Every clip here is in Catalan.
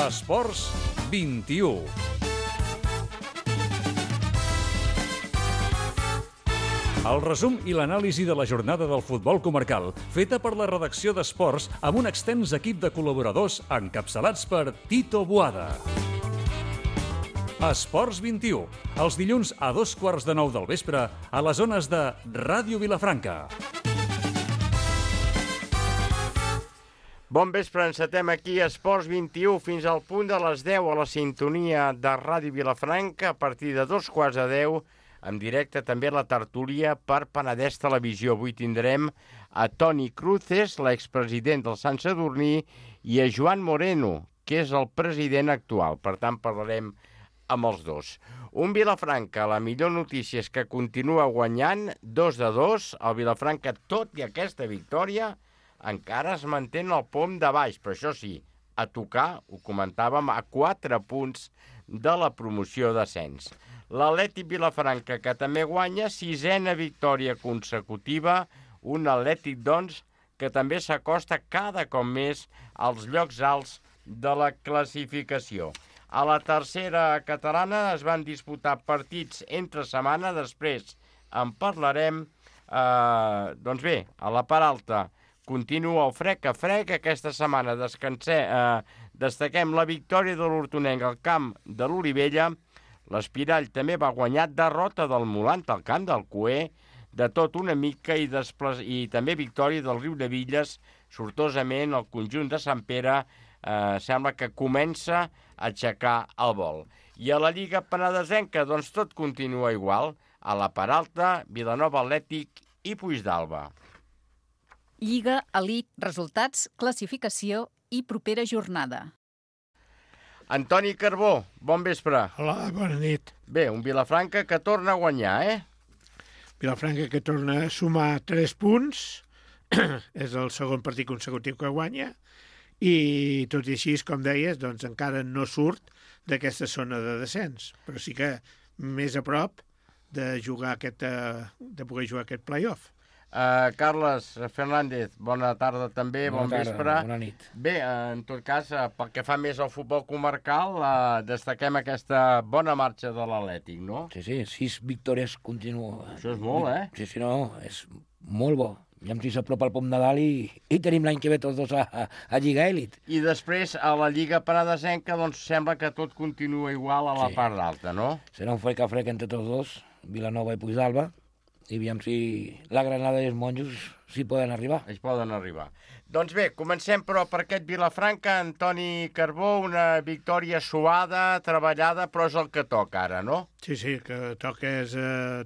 Esports 21. El resum i l'anàlisi de la jornada del futbol comarcal, feta per la redacció d'Esports amb un extens equip de col·laboradors encapçalats per Tito Boada. Esports 21, els dilluns a 8:15 del vespre a les zones de Ràdio Vilafranca. Bon vespre, encetem aquí Esports 21 fins al punt de les 10 a la sintonia de Ràdio Vilafranca. A partir de 2:15, en directe també la tertúlia per Penedès Televisió. Avui tindrem a Toni Cruces, l'expresident del Sant Sadurní, i a Joan Moreno, que és el president actual. Per tant, parlarem amb els dos. Un Vilafranca, la millor notícia és que continua guanyant 2-2. El Vilafranca, tot i aquesta victòria, encara es manté en el pom de baix, però això sí, a tocar, ho comentàvem, a 4 punts de la promoció d'ascens. L'Atlètic Vilafranca, que també guanya, 6a victòria consecutiva, un Atlètic, doncs, que també s'acosta cada cop més als llocs alts de la classificació. A la tercera catalana es van disputar partits entre setmana, després en parlarem. Doncs bé, a la part alta continua el frec a frec. Aquesta setmana destaquem la victòria de l'Hortonenc al camp de l'Olivella. L'Espirall també va guanyar, derrota del Molant al camp del Cué, de tot una mica, i també victòria del Riudevilles. Sortosament, el conjunt de Sant Pere sembla que comença a aixecar el vol. I a la Lliga Penedesenca, doncs tot continua igual. A la part alta, Vilanova Atlètic i Puigdàlber. Lliga, Elit, resultats, classificació i propera jornada. Antoni Carbó, bon vespre. Hola, bona nit. Bé, un Vilafranca que torna a guanyar, Vilafranca que torna a sumar 3 punts. És el segon partit consecutiu que guanya. I tot i així, com deies, doncs encara no surt d'aquesta zona de descens. Però sí que més a prop de poder jugar aquest play-off. Carles Fernández, bona tarda també, bon vespre. Bona nit. Bé, en tot cas, pel que fa més al futbol comarcal, destaquem aquesta bona marxa de l'Atlètic, no? Sí, 6 victòries continues. Això és molt, Sí, no, és molt bo. Aviam si s'apropa el pom de dalt i tenim l'any que ve tots dos a Lliga Elit. I després, a la Lliga Penedesenca, doncs sembla que tot continua igual a la part alta, no? Serà un frec a frec entre tots dos, Vilanova i Puigdàlber, i aviam si la Granada i els monjos s'hi poden arribar. Ells poden arribar. Doncs bé, comencem però per aquest Vilafranca. Antoni Carbó, una victòria suada, treballada, però és el que toca ara, no? Sí, el que toca és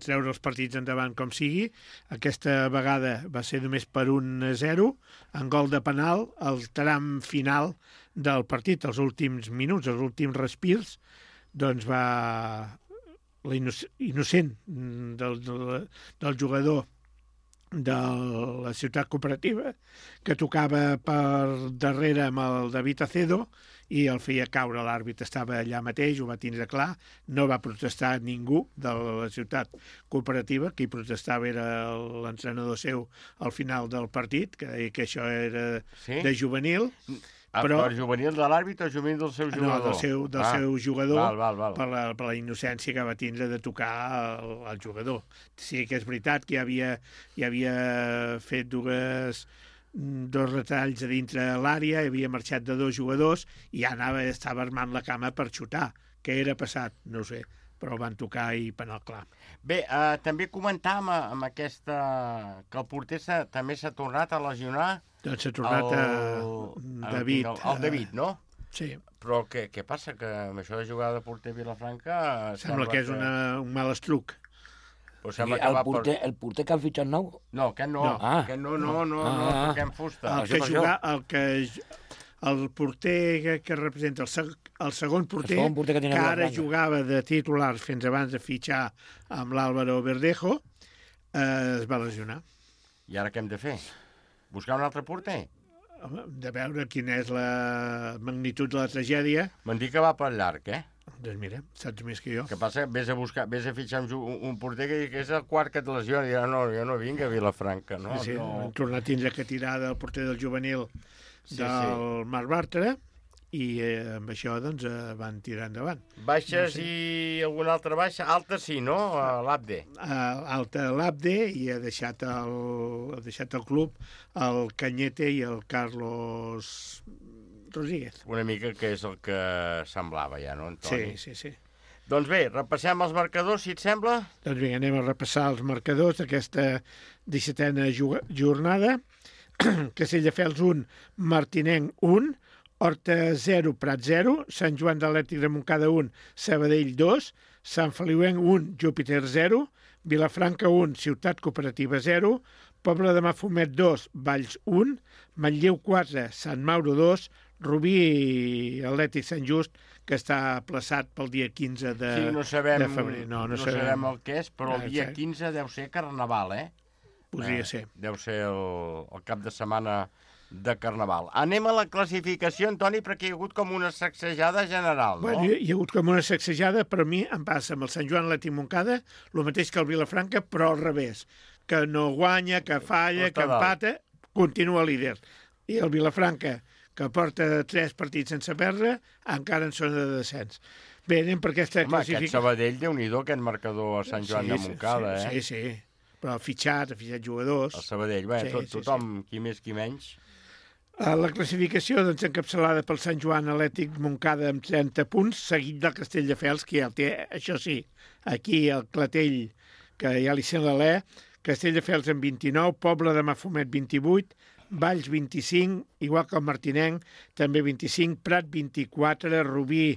treure els partits endavant com sigui. Aquesta vegada va ser només per 1-0, en gol de penal, el tram final del partit, els últims minuts, els últims respirs, doncs va innocent del jugador de la ciutat cooperativa, que tocava per darrere amb el David Acedo i el feia caure. L'àrbit estava allà mateix, ho va tindre clar, no va protestar ningú de la ciutat cooperativa. Qui protestava era l'entrenador seu al final del partit, que deia que això era de juvenil. Però juvenil de l'àrbit o juvenil del seu jugador? No, del seu jugador, val. per la innocència que va tindre de tocar el jugador. Sí que és veritat que ja havia fet dos retalls a dintre l'àrea, havia marxat de 2 jugadors i ja estava armant la cama per xutar. Què era passat? No ho sé, però el van tocar i penal clar. Bé, també comentàvem amb aquesta que el porter també s'ha tornat a lesionar. Doncs s'ha tornat David. El David, no? Sí. Però què passa? Que amb això de jugar de porter Vilafranca... Sembla que és un mal estruc. El porter que han fitxat nou? No, aquest no. No, toquem fusta. El porter que representa el segon porter que ara jugava de titular fins abans de fitxar amb l'Álvaro Verdejo, es va lesionar. I ara què hem de fer? Buscar un altre porter? De veure quina és la magnitud de la tragèdia. M'han dit que va per llarg, Doncs mira, saps més que jo. Que passa que vés a fitxar un porter que és el quart que et lesiona i dirà, no, jo no vinc a Vilafranca, no? Sí, han tornat a tindre que tirar del porter del juvenil del Marc Bartra i amb això doncs, van tirar endavant. Baixes i alguna altra baixa? Alta sí, no? L'Abde. Alta l'Abde i ha deixat el club el Cañete i el Carlos Rodríguez. Una mica que és el que semblava ja, no, Antoni? Sí. Doncs bé, repassem els marcadors, si et sembla. Doncs vinga, anem a repassar els marcadors d'aquesta 17a jornada. Castelldefels 1, Martinenc 1, Horta 0, Prat 0, Sant Joan d'Atlètic de Montcada 1, Sabadell 2, Sant Feliuenc 1, Júpiter 0, Vilafranca 1, Ciutat Cooperativa 0, Pobla de Mafumet 2, Valls 1, Manlleu 4, Sant Mauro 2, Rubí i Atlètic Sant Just, que està plaçat pel dia 15 de febrer. No sabem el que és, però el dia 15 deu ser Carnaval, Podria ser. Deu ser el cap de setmana de Carnaval. Anem a la classificació, Antoni, perquè hi ha hagut com una sacsejada general, no? Bueno, hi ha hagut com una sacsejada, però a mi em passa amb el Sant Joan Atlètic Montcada el mateix que el Vilafranca, però al revés. Que no guanya, que falla, que empata, continua líder. I el Vilafranca, que porta 3 partits sense perdre, encara en zona de descens. Bé, anem per aquesta classificació. Aquest Sabadell, Déu-n'hi-do, aquest marcador a Sant Joan de Montcada, Sí. Però ha fitxat jugadors. El Sabadell, tothom, qui més, qui menys. La classificació doncs, encapçalada pel Sant Joan Atlètic Montcada amb 30 punts, seguit del Castelldefels, que ja el té, això sí, aquí el Clatell, que ja li sent l'alè, Castelldefels amb 29, Pobla de Mafumet 28, Valls 25, igual que el Martinenc, també 25, Prat 24, Rubí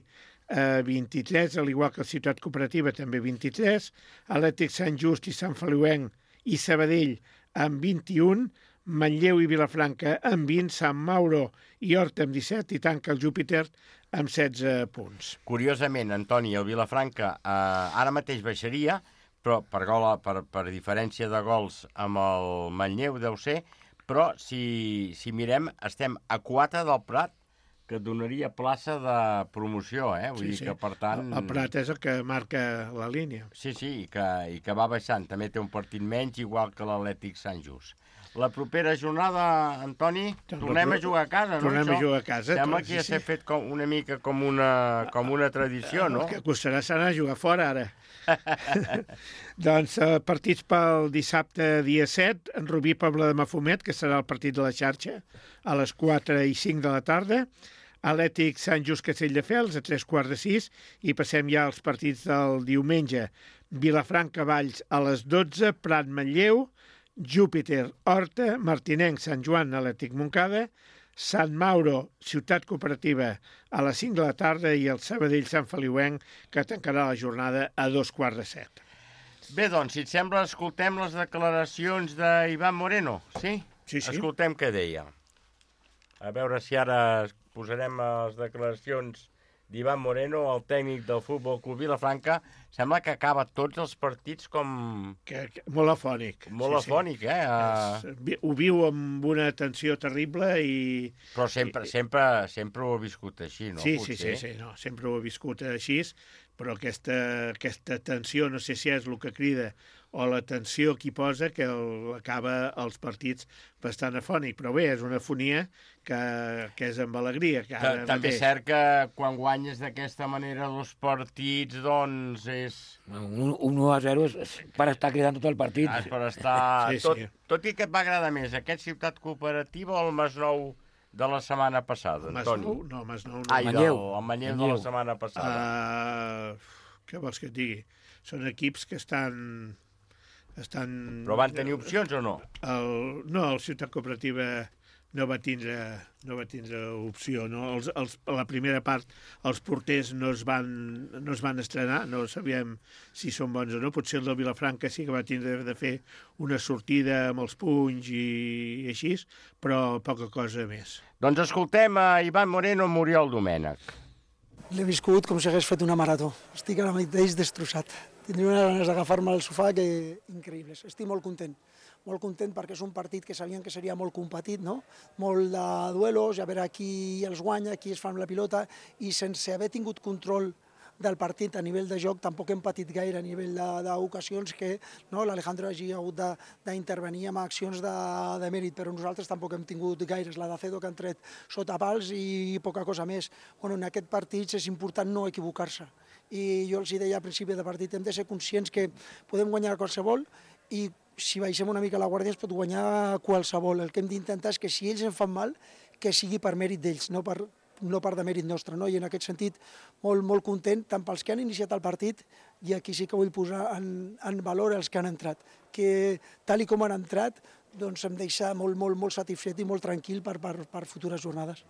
23, al igual que la Ciutat Cooperativa, també 23, Atlètic Sant Just i Sant Feliuenc i Sabadell amb 21, Manlleu i Vilafranca amb 20, Sant Mauro i Horta amb 17 i tanca el Júpiter amb 16 punts. Curiosament, Antoni, el Vilafranca ara mateix baixaria, però per diferència de gols amb el Manlleu deu ser, però si mirem estem a 4 del Prat, que donaria plaça de promoció, Vull dir que, per tant... El Prat és el que marca la línia. Sí, i que va baixant. També té un partit menys, igual que l'Atlètic Sant Just. La propera jornada, Antoni, tornem a jugar a casa, no? Tornem a jugar a casa. Sembla que ja s'ha fet una mica com una tradició, no? El que costarà serà jugar fora, ara. Doncs partits pel dissabte dia 7, en Rubí Pobla de Mafumet, que serà el partit de la xarxa, a les 4 i 5 de la tarda. Atlètic Sant Just Castelldefels a 3:15 i passem ja als partits del diumenge. Vilafranca Valls a les 12, Prat Manlleu, Júpiter Horta, Martinenc Sant Joan Atlètic Montcada, Sant Mauro Ciutat Cooperativa a les 5 de la tarda i el Sabadell Sant Feliuenc, que tancarà la jornada a 2:15. Bé, doncs, si et sembla, escoltem les declaracions d'Ivan Moreno, sí? Sí. Escoltem què deia. A veure si ara posarem les declaracions d'Ivan Moreno, el tècnic del Futbol Club Vilafranca. Sembla que acaba tots els partits com... Molt afònic. Molt afònic, Ho viu amb una tensió terrible i... Però sempre ho ha viscut així, no? Sí, no, sempre ho ha viscut així, però aquesta tensió, no sé si és el que crida, o la tensió que hi posa, que acaba els partits bastant afònic. Però bé, és una afonia que és amb alegria. També és cert que quan guanyes d'aquesta manera els partits, doncs és... Un 1-0 és per estar cridant tot el partit. És per estar... Sí. Tot i que et va agradar més aquest Ciutat Cooperativa o el Masnou de la setmana passada, Antoni? Masnou no. El Manlleu de la setmana passada. Què vols que et digui? Són equips que estan... Però van tenir opcions o no? No, el Ciutat Cooperativa no va tindre opció. No? A la primera part els porters no es van estrenar, no sabíem si són bons o no. Potser el del Vilafranca sí que va tindre de fer una sortida amb els punys i així, però poca cosa més. Doncs escoltem a Ivan Moreno, Muriel Domènech. L'he viscut com si hagués fet una marató. Estic ara mateix destrossat. Tindria unes ganes d'agafar-me al sofà que increïbles. Estic molt content perquè és un partit que sabien que seria molt competit, no? Molt de duelos, a veure qui els guanya, qui es fa amb la pilota, i sense haver tingut control del partit a nivell de joc, tampoc hem patit gaire a nivell d'ocasions que l'Alejandro hagi hagut d'intervenir amb accions de mèrit, però nosaltres tampoc hem tingut gaires. La d'Acedo que han tret sota pals i poca cosa més. En aquest partit és important no equivocar-se. I jo els deia al principi de partit, hem de ser conscients que podem guanyar qualsevol i si baixem una mica la guàrdia es pot guanyar qualsevol. El que hem d'intentar és que si ells en fan mal, que sigui per mèrit d'ells, no per demèrit nostre. I en aquest sentit, molt content, tant pels que han iniciat el partit, i aquí sí que vull posar en valor els que han entrat, que tal com han entrat, doncs em deixa molt satisfet i molt tranquil per futures jornades.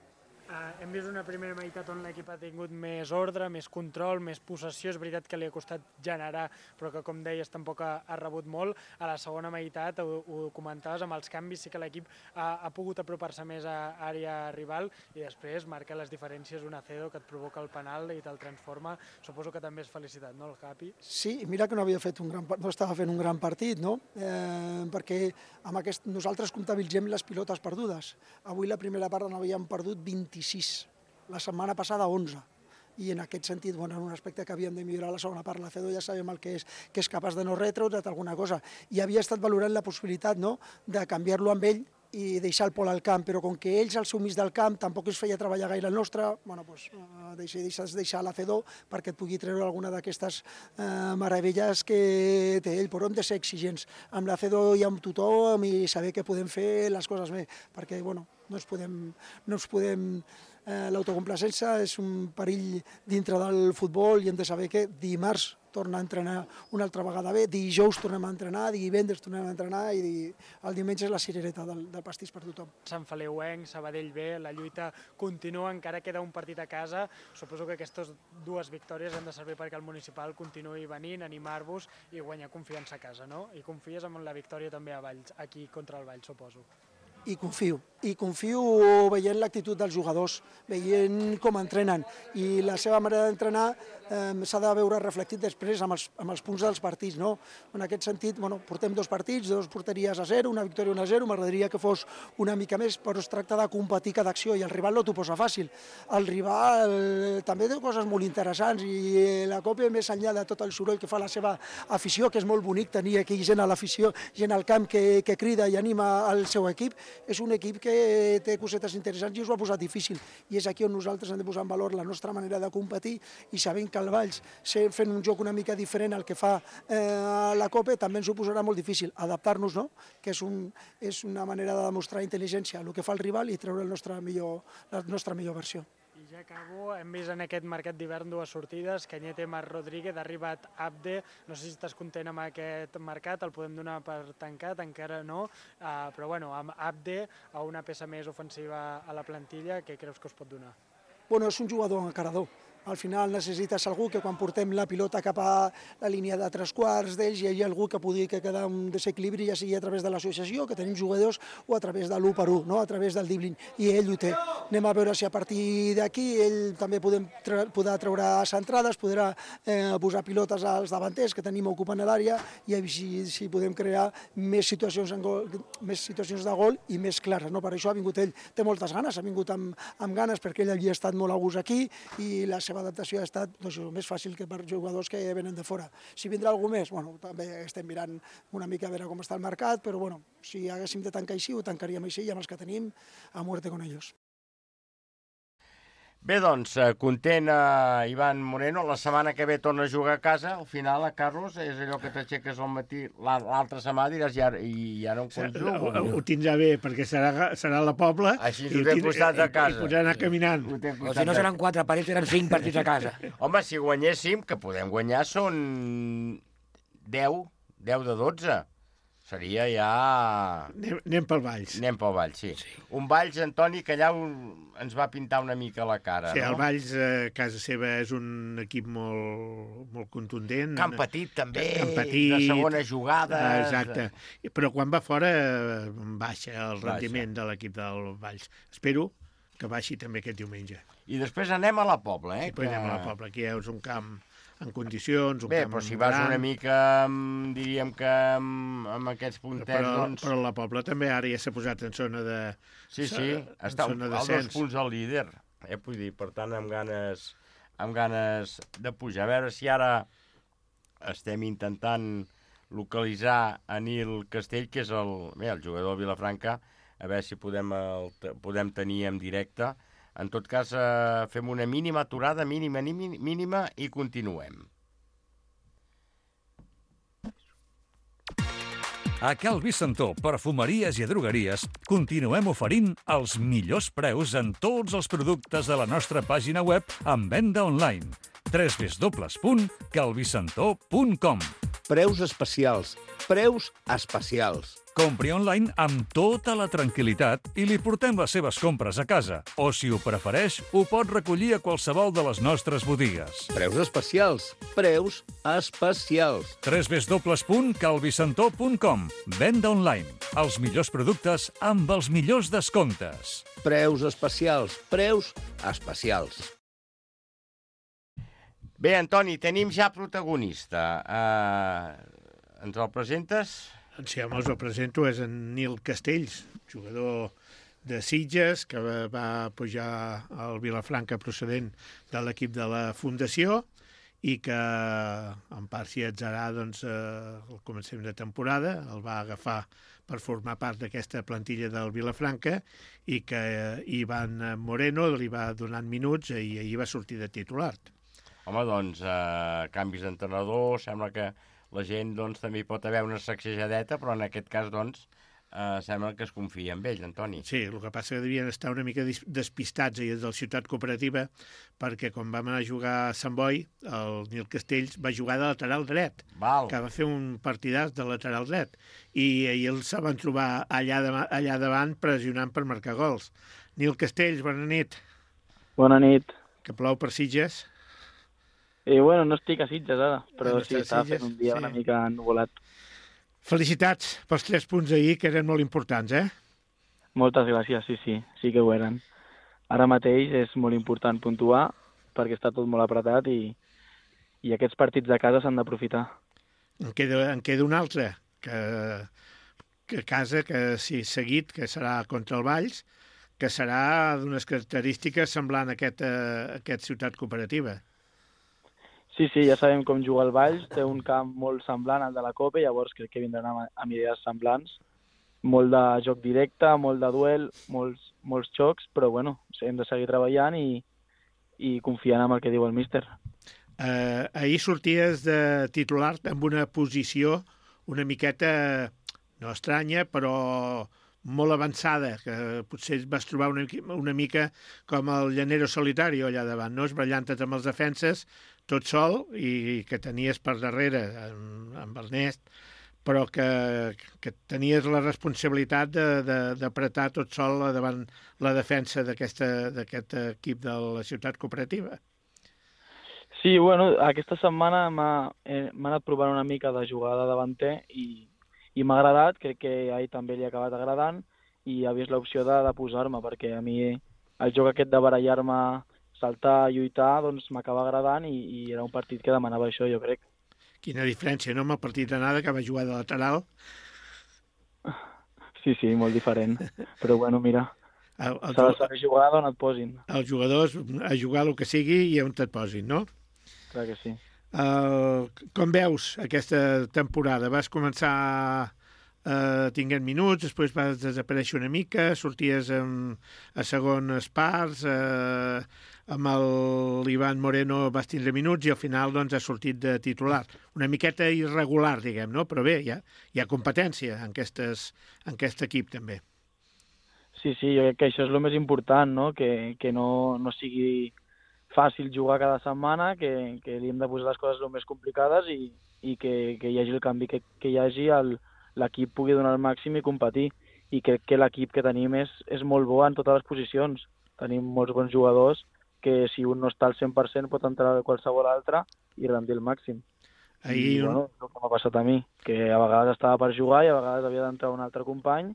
Hem vist una primera meitat on l'equip ha tingut més ordre, més control, més possessió. És veritat que li ha costat generar, però que, com deies, tampoc ha rebut molt. A la segona meitat, ho comentaves, amb els canvis sí que l'equip ha pogut apropar-se més a àrea rival i després marca les diferències un Acedo que et provoca el penal i te'l transforma. Suposo que també és felicitat, no, el Capi? Sí, mira que no estava fent un gran partit, no? Perquè nosaltres comptabilitzem les pilotes perdudes. Avui la primera part n'havíem perdut 26, la setmana passada 11, i en aquest sentit, en un aspecte que havíem de millorar la segona part, l'Acedo ja sabem el que és capaç de no retreure't alguna cosa, i havia estat valorant la possibilitat de canviar-lo amb ell i deixar el Pol al camp, però com que ells al seu mig del camp tampoc es feia treballar gaire el nostre, deixar l'Acedo perquè et pugui treure alguna d'aquestes meravelles que té ell, però hem de ser exigents amb l'Acedo i amb tothom i saber que podem fer les coses bé, perquè no ens podem l'autocomplacència és un perill dintre del futbol i hem de saber que dimarts torna a entrenar una altra vegada bé, dijous tornem a entrenar, divendres tornem a entrenar i el diumenge és la cirereta del pastís per tothom. Sant Feleuenc, Sabadell bé, la lluita continua, encara queda un partit a casa. Suposo que aquestes dues victòries han de servir perquè el municipal continuï venint, animar-vos i guanyar confiança a casa, no? I confies en la victòria també a Valls, aquí contra el Valls, suposo. I confio veient l'actitud dels jugadors, veient com entrenen i la seva manera d'entrenar s'ha de veure reflectit després amb els punts dels partits, no? En aquest sentit, portem 2 partits, 2 porteries a 0, una victòria 1-0, m'agradaria que fos una mica més, però es tracta de competir cada acció i el rival no t'ho posa fàcil. El rival també té coses molt interessants i la Copa, més enllà de tot el soroll que fa la seva afició, que és molt bonic tenir aquí gent a l'afició, gent al camp que crida i anima el seu equip, és un equip que té cosetes interessants i us ho ha posat difícil. I és aquí on nosaltres hem de posar en valor la nostra manera de competir i sabent que el Valls, fent un joc una mica diferent al que fa la Copa, també ens ho posarà molt difícil. Adaptar-nos, no? Que és una manera de demostrar intel·ligència, el que fa el rival i treure la nostra millor versió. I ja acabo, hem vist en aquest mercat d'hivern 2 sortides, Cañete, Marc Rodríguez, ha arribat Abde, no sé si estàs content amb aquest mercat, el podem donar per tancat, encara no, però amb Abde, a una peça més ofensiva a la plantilla, què creus que us pot donar? És un jugador encarador. Al final necessites algú que quan portem la pilota cap a la línia de 3/4 d'ells hi hagi algú que pugui quedar un desequilibri, ja sigui a través de l'associació, que tenim jugadors, o a través de l'1-1, no? A través del dribbling, i ell ho té. Anem a veure si a partir d'aquí ell també podrà treure centrades, podrà posar pilotes als davanters que tenim ocupant l'àrea i si podem crear més situacions de gol i més clares. Per això ha vingut ell, té moltes ganes, ha vingut amb ganes perquè ell havia estat molt a gust aquí i la seva adaptació ha estat més fàcil que per jugadors que venen de fora. Si vindrà algú més, també estem mirant una mica a veure com està el mercat, però si haguéssim de tancar així, ho tancaríem així i amb els que tenim, a muerte con ellos. Bé, doncs, content Ivan Moreno, la setmana que ve torna a jugar a casa, al final, Carlos, és allò que t'aixeques al matí, l'altra setmana diràs, i ara on jugo? Ho tindrà bé, perquè serà a la Pobla, així t'ho té costat a casa. I podrà anar caminant. O si no seran 4 partits, seran 5 partits a casa. Home, si guanyéssim, que podem guanyar, són 10 de 12. Seria ja... Anem pel Valls. Anem pel Valls, sí. Un Valls, Antoni, que allà ens va pintar una mica la cara, sí, no? El Valls, a casa seva, és un equip molt contundent. Camp petit, també, petit, de segona jugada. Exacte. Però quan va fora, baixa el rendiment de l'equip del Valls. Espero que baixi també aquest diumenge. I després anem a la Pobla, I després anem a la Pobla, que és un camp en condicions, un bé, camp però si vas una mica, diríem que amb aquests puntets, doncs... Però la Pobla també ara ja s'ha posat en zona de... Sí, està als 2 punts del líder. Vull dir, per tant, amb ganes amb ganes de pujar. A veure si ara estem intentant localitzar a Nil Castell, que és el jugador de Vilafranca, a veure si podem tenir en directe. En tot cas, fem una mínima aturada, mínima, i continuem. A Cal Vicentó, perfumeries i drogueries, continuem oferint els millors preus en tots els productes de la nostra pàgina web en venda online. www.calvicentó.com. Preus especials. Preus especials. Compri online amb tota la tranquil·litat i li portem les seves compres a casa. O, si ho prefereix, ho pot recollir a qualsevol de les nostres botigues. Preus especials. Preus especials. www.calvicentó.com. Venda online. Els millors productes amb els millors descomptes. Preus especials. Preus especials. Bé, Antoni, tenim ja protagonista. Ens el presentes? Sí, home, us el presento, és en Nil Castells, jugador de Sitges, que va pujar al Vilafranca procedent de l'equip de la Fundació i que en part s'hi atzarà doncs, al començament de temporada, el va agafar per formar part d'aquesta plantilla del Vilafranca i que Ivan Moreno li va donant minuts i ahir va sortir de titular. Home, doncs, canvis d'entrenador, sembla que la gent doncs, també hi pot haver una sacsejadeta, però en aquest cas doncs, sembla que es confia en ell, Antoni. Sí, el que passa que devien estar una mica despistats ahir del Ciutat Cooperativa, perquè quan vam anar a jugar a Sant Boi, el Nil Castells va jugar de lateral dret, que va fer un partidàs de lateral dret, i ahir els van trobar allà davant pressionant per marcar gols. Nil Castells, bona nit. Bona nit. Que plou per Sitges? Bueno, no estic a Sitges ara, però no sí, estava fent un dia una mica ennuvolat. Felicitats pels 3 punts d'ahir, que eren molt importants, Moltes gràcies, sí que ho eren. Ara mateix és molt important puntuar, perquè està tot molt apretat i aquests partits de casa s'han d'aprofitar. En queda un altre, que a casa, que sí, seguit, que serà contra el Valls, que serà d'unes característiques semblant a aquest Ciutat Cooperativa. Sí, ja sabem com juga el Valls, té un camp molt semblant al de la Copa, llavors crec que vindran amb idees semblants. Molt de joc directe, molt de duel, molts xocs, però bueno, hem de seguir treballant i confiant en el que diu el míster. Ahir sorties de titular amb una posició una miqueta, no estranya, però molt avançada, que potser vas trobar una mica com el llanero solitari allà davant, no? Esbratllant-te amb els defenses, tot sol, i que tenies per darrere amb Ernest, però que tenies la responsabilitat d'apretar tot sol davant la defensa d'aquest equip de la Ciutat Cooperativa. Sí, bueno, aquesta setmana m'ha anat provant una mica de jugada davanter i m'ha agradat, crec que ahir també li ha acabat agradant i ha vist l'opció de posar-me, perquè a mi el joc aquest de barallar-me, saltar, lluitar, doncs m'acaba agradant i era un partit que demanava això, jo crec. Quina diferència, no?, amb el partit d'anada, que va jugar de lateral. Sí, molt diferent. Però bueno, mira, s'ha de saber jugar on et posin. Els jugadors a jugar el que sigui i on et posin, no? Clar que sí. Com veus aquesta temporada? Vas començar tinguent minuts, després vas desaparèixer una mica, sorties a segones parts, amb l'Ivan Moreno vas tindre minuts i al final doncs has sortit de titular. Una miqueta irregular, diguem, no? Però bé, hi ha competència en aquest equip també. Sí, jo crec que això és el més important, no? Que no sigui fàcil jugar cada setmana, que li hem de posar les coses el més complicades i que hi hagi el canvi que hi hagi, l'equip pugui donar el màxim i competir. I crec que l'equip que tenim és molt bo en totes les posicions. Tenim molts bons jugadors que si un no està al 100% pot entrar a qualsevol altre i rendir el màxim. Bueno, és el que m'ha passat a mi, que a vegades estava per jugar i a vegades havia d'entrar un altre company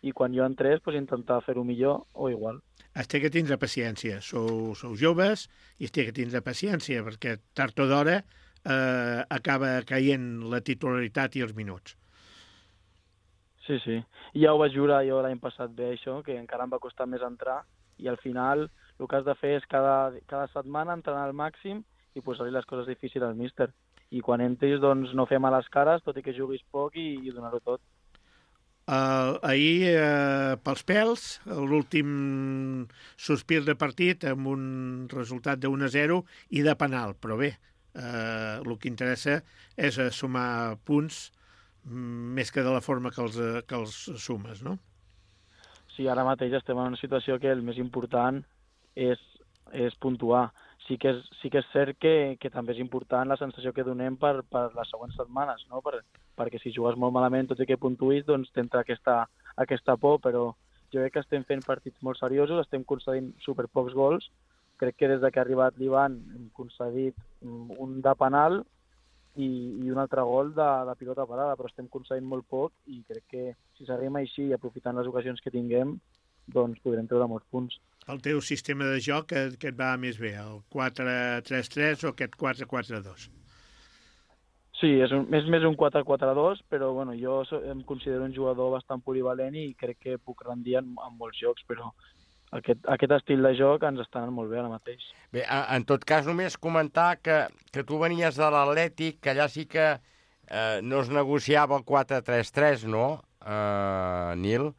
i quan jo entrés intentar fer-ho millor o igual. Es té que tindre paciència. Sou joves i es té que tindre paciència perquè tard o d'hora acaba caient la titularitat i els minuts. Sí. Ja ho vaig jurar jo l'any passat bé, això, que encara em va costar més entrar i al final El que has de fer és cada setmana entrenar al màxim i posar-li les coses difícils al míster. I quan entris, doncs, no fer males cares, tot i que juguis poc i donar-ho tot. Ahir, pels pèls, l'últim sospir de partit amb un resultat de 1-0 i de penal, però bé, el que interessa és sumar punts més que de la forma que els sumes, no? Sí, ara mateix estem en una situació que el més important és puntuar. Sí que és cert que també és important la sensació que donem per les següents setmanes, no? Perquè si jugues molt malament, tot i que puntuïs, doncs t'entra aquesta por, però jo crec que estem fent partits molt seriosos, estem concedint superpocs gols. Crec que des que ha arribat l'Ivan hem concedit un de penal i un altre gol de pilota parada, però estem concedint molt poc i crec que si seguim així i aprofitant les ocasions que tinguem, doncs podrem treure molts punts. El teu sistema de joc, que et va més bé, el 4-3-3 o aquest 4-4-2? Sí, és més un 4-4-2, però bueno, jo em considero un jugador bastant polivalent i crec que puc rendir en molts jocs, però aquest estil de joc ens està anant molt bé ara mateix. Bé, en tot cas, només comentar que tu venies de l'Atlètic, que allà sí que no es negociava el 4-3-3, no, Nil?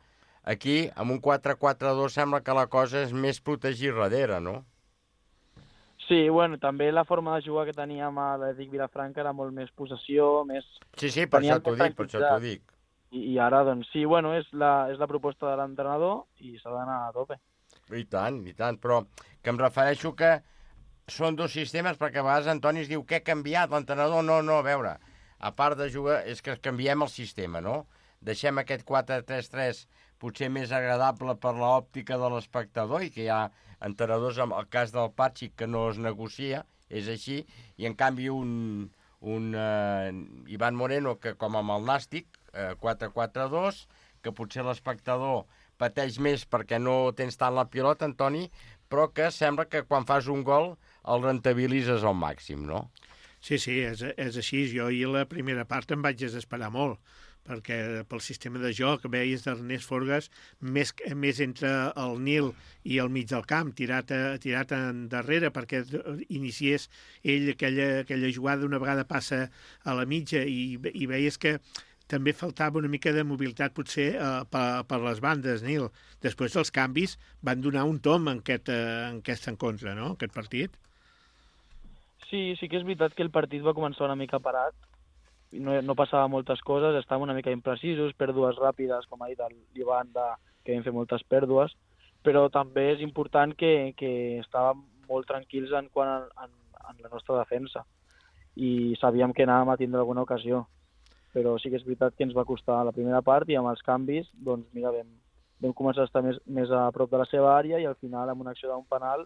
Aquí, amb un 4-4-2, sembla que la cosa és més protegir darrere, no? Sí, bueno, també la forma de jugar que teníem a l'Atlètic Vilafranca era molt més possessió, més... Sí, per això t'ho dic. I ara, doncs, sí, bueno, és la proposta de l'entrenador i s'ha d'anar a tope. I tant, però que em refereixo que són dos sistemes, perquè a vegades Antoni es diu què ha canviat l'entrenador? No, a veure, a part de jugar, és que canviem el sistema, no? Deixem aquest 4-3-3 potser més agradable per l'òptica de l'espectador i que hi ha entrenadors, en el cas del Patxi, que no es negocia, és així, i en canvi un Ivan Moreno, que com amb el Nàstic, 4-4-2, que potser l'espectador pateix més perquè no tens tant la pilota, Antoni, però que sembla que quan fas un gol el rentabilitzes al màxim, no? Sí, és així. Jo ahir la primera part em vaig desesperar molt, perquè pel sistema de joc veies d'Ernest Forgas més entre el Nil i el mig del camp, tirat endarrere perquè iniciés ell aquella jugada, una vegada passa a la mitja i veies que també faltava una mica de mobilitat potser per les bandes, Nil. Després els canvis van donar un tom en aquest encontre, no?, aquest partit. Sí que és veritat que el partit va començar una mica parat, no passava moltes coses, estàvem una mica imprecisos, pèrdues ràpides, com ha dit l'Ivan, que vam fer moltes pèrdues, però també és important que estàvem molt tranquils en la nostra defensa i sabíem que anàvem a tindre alguna ocasió, però sí que és veritat que ens va costar la primera part i amb els canvis, doncs mira, vam començar a estar més a prop de la seva àrea i al final amb una acció d'un penal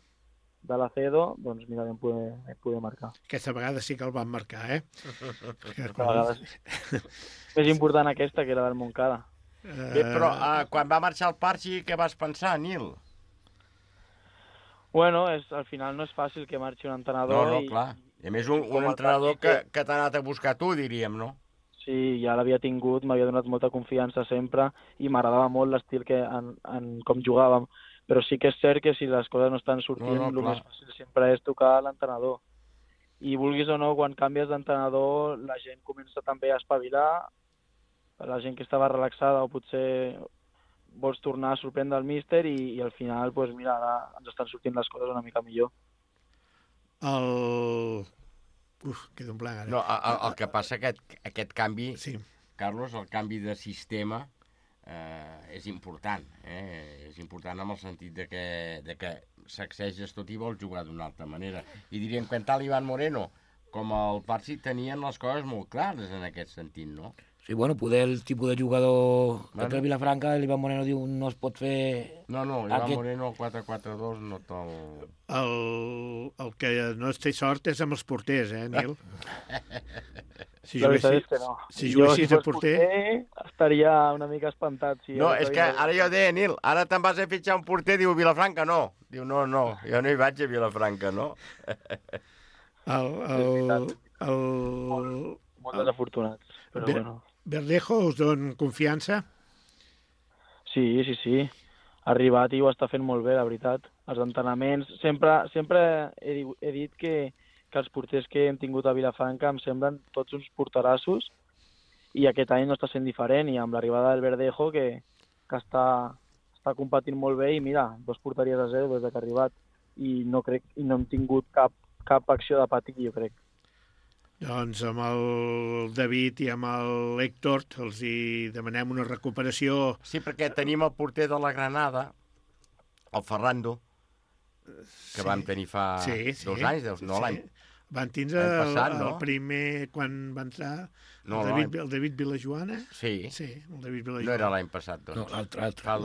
de l'Acedo, doncs mira, vam poder marcar. Aquesta vegada sí que el van marcar, Aquesta vegada sí. Més important aquesta que era del Montcada. Bé, però quan va marxar el Parchi, què vas pensar, Nil? Bueno, al final no és fàcil que marxi un entrenador. No, clar. I a més un entrenador que t'ha anat a buscar tu, diríem, no? Sí, ja l'havia tingut, m'havia donat molta confiança sempre i m'agradava molt l'estil com jugàvem. Però sí que és cert que si les coses no estan sortint, el més fàcil sempre és tocar l'entrenador. I vulguis o no, quan canvies d'entrenador, la gent comença també a espavilar, la gent que estava relaxada o potser vols tornar a sorprendre el míster i al final, doncs mira, ara ens estan sortint les coses una mica millor. Queda un blanc ara. No, el que passa que aquest canvi, sí. Carlos, el canvi de sistema és important, és important en el sentit de que sacseges tot i vols jugar d'una altra manera. I diríem que tant l'Ivan Moreno com el Parsi tenien les coses molt clares en aquest sentit, no? Sí, bueno, poder el tipus de jugador que té el Vilafranca, l'Ivan Moreno diu no es pot fer... No, l'Ivan Moreno el 4-4-2 no te'l... El que no es té sort és amb els porters, Nil? Si juguessis de porter... estaria una mica espantat. No, és que ara jo deia, Nil, ara te'n vas a fitxar un porter, diu Vilafranca, no. Diu, no, jo no hi vaig a Vilafranca, no. Molt desafortunats, però bueno. Verdejo us don confiança? Sí. Ha arribat i ho està fent molt bé, la veritat. els entrenaments. Sempre he dit que els porters que hem tingut a Vilafranca em semblen tots uns porterassos i aquest any no està sent diferent, i amb l'arribada del Verdejo que està competint molt bé, i mira, 2 porteries a 0 des que ha arribat, i no hem tingut cap acció de patir, jo crec. Doncs amb el David i amb l'Héctor els hi demanem una recuperació. Sí, perquè tenim el porter de la Granada, el Ferrando, que vam tenir fa 2 anys, no l'any. Van tindre el primer, quan va entrar, el David Vilajoana? Sí. El David Vilajoana. No era l'any passat, doncs. No, l'altre. Fa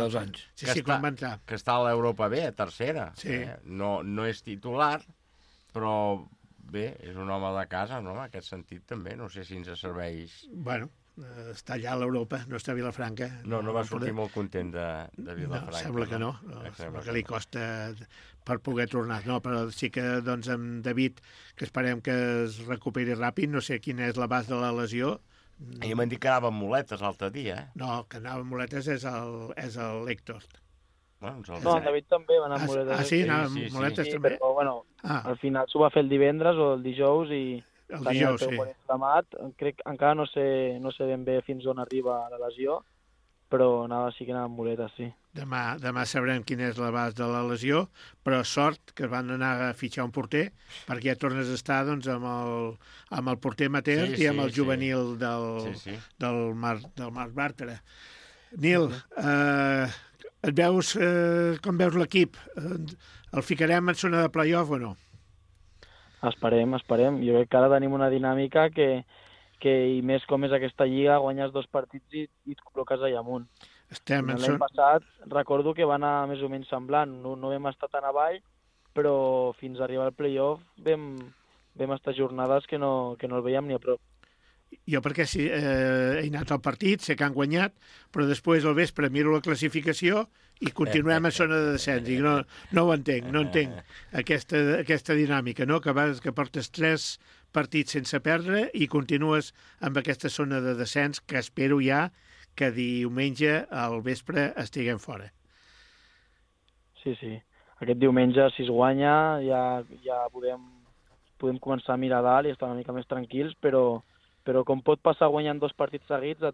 2 anys. Sí, quan va entrar. Que està a l'Europa B, a tercera. Sí. No és titular, però bé, és un home de casa, no? En aquest sentit també, no sé si ens serveix... Bueno, està allà a l'Europa, no està a Vilafranca. No va sortir molt content de Vilafranca. No, sembla que no. Sembla que li costa per poder tornar. No, però sí que doncs amb David, que esperem que es recuperi ràpid, no sé quina és l'abast de la lesió. I m'han dit que anava amb muletes l'altre dia, eh? No, que anava amb muletes és l'Héctor. No, el David també va anar amb muletes. Ah, sí? Anava amb muletes també? Però, bueno, al final s'ho va fer el divendres o el dijous i... El dijous, sí. Crec que encara no sé ben bé fins on arriba la lesió, però sí que anava amb muletes, sí. Demà sabrem quina és l'abast de la lesió, però sort que van anar a fitxar un porter, perquè ja tornes a estar doncs, amb el porter amateur i amb el juvenil del Marc Bàrtara. Nil, com veus l'equip? El ficarem en zona de play-off o no? Esperem. Jo crec que ara tenim una dinàmica que i més com és aquesta lliga, guanyes 2 partits i et col·loques allà amunt. L'any passat recordo que va anar més o menys semblant. No vam estar tan avall, però fins a arribar al play-off vam estar jornades que no el veiem ni a prop. Jo perquè he anat al partit, sé que han guanyat, però després al vespre miro la classificació i continuem a zona de descens. I no ho entenc, no entenc aquesta dinàmica, no? Que portes 3 partits sense perdre i continues amb aquesta zona de descens que espero ja que diumenge al vespre estiguem fora. Sí. Aquest diumenge, si es guanya, ja podem començar a mirar dalt i estar una mica més tranquils, però com pot passar guanyant 2 partits seguits,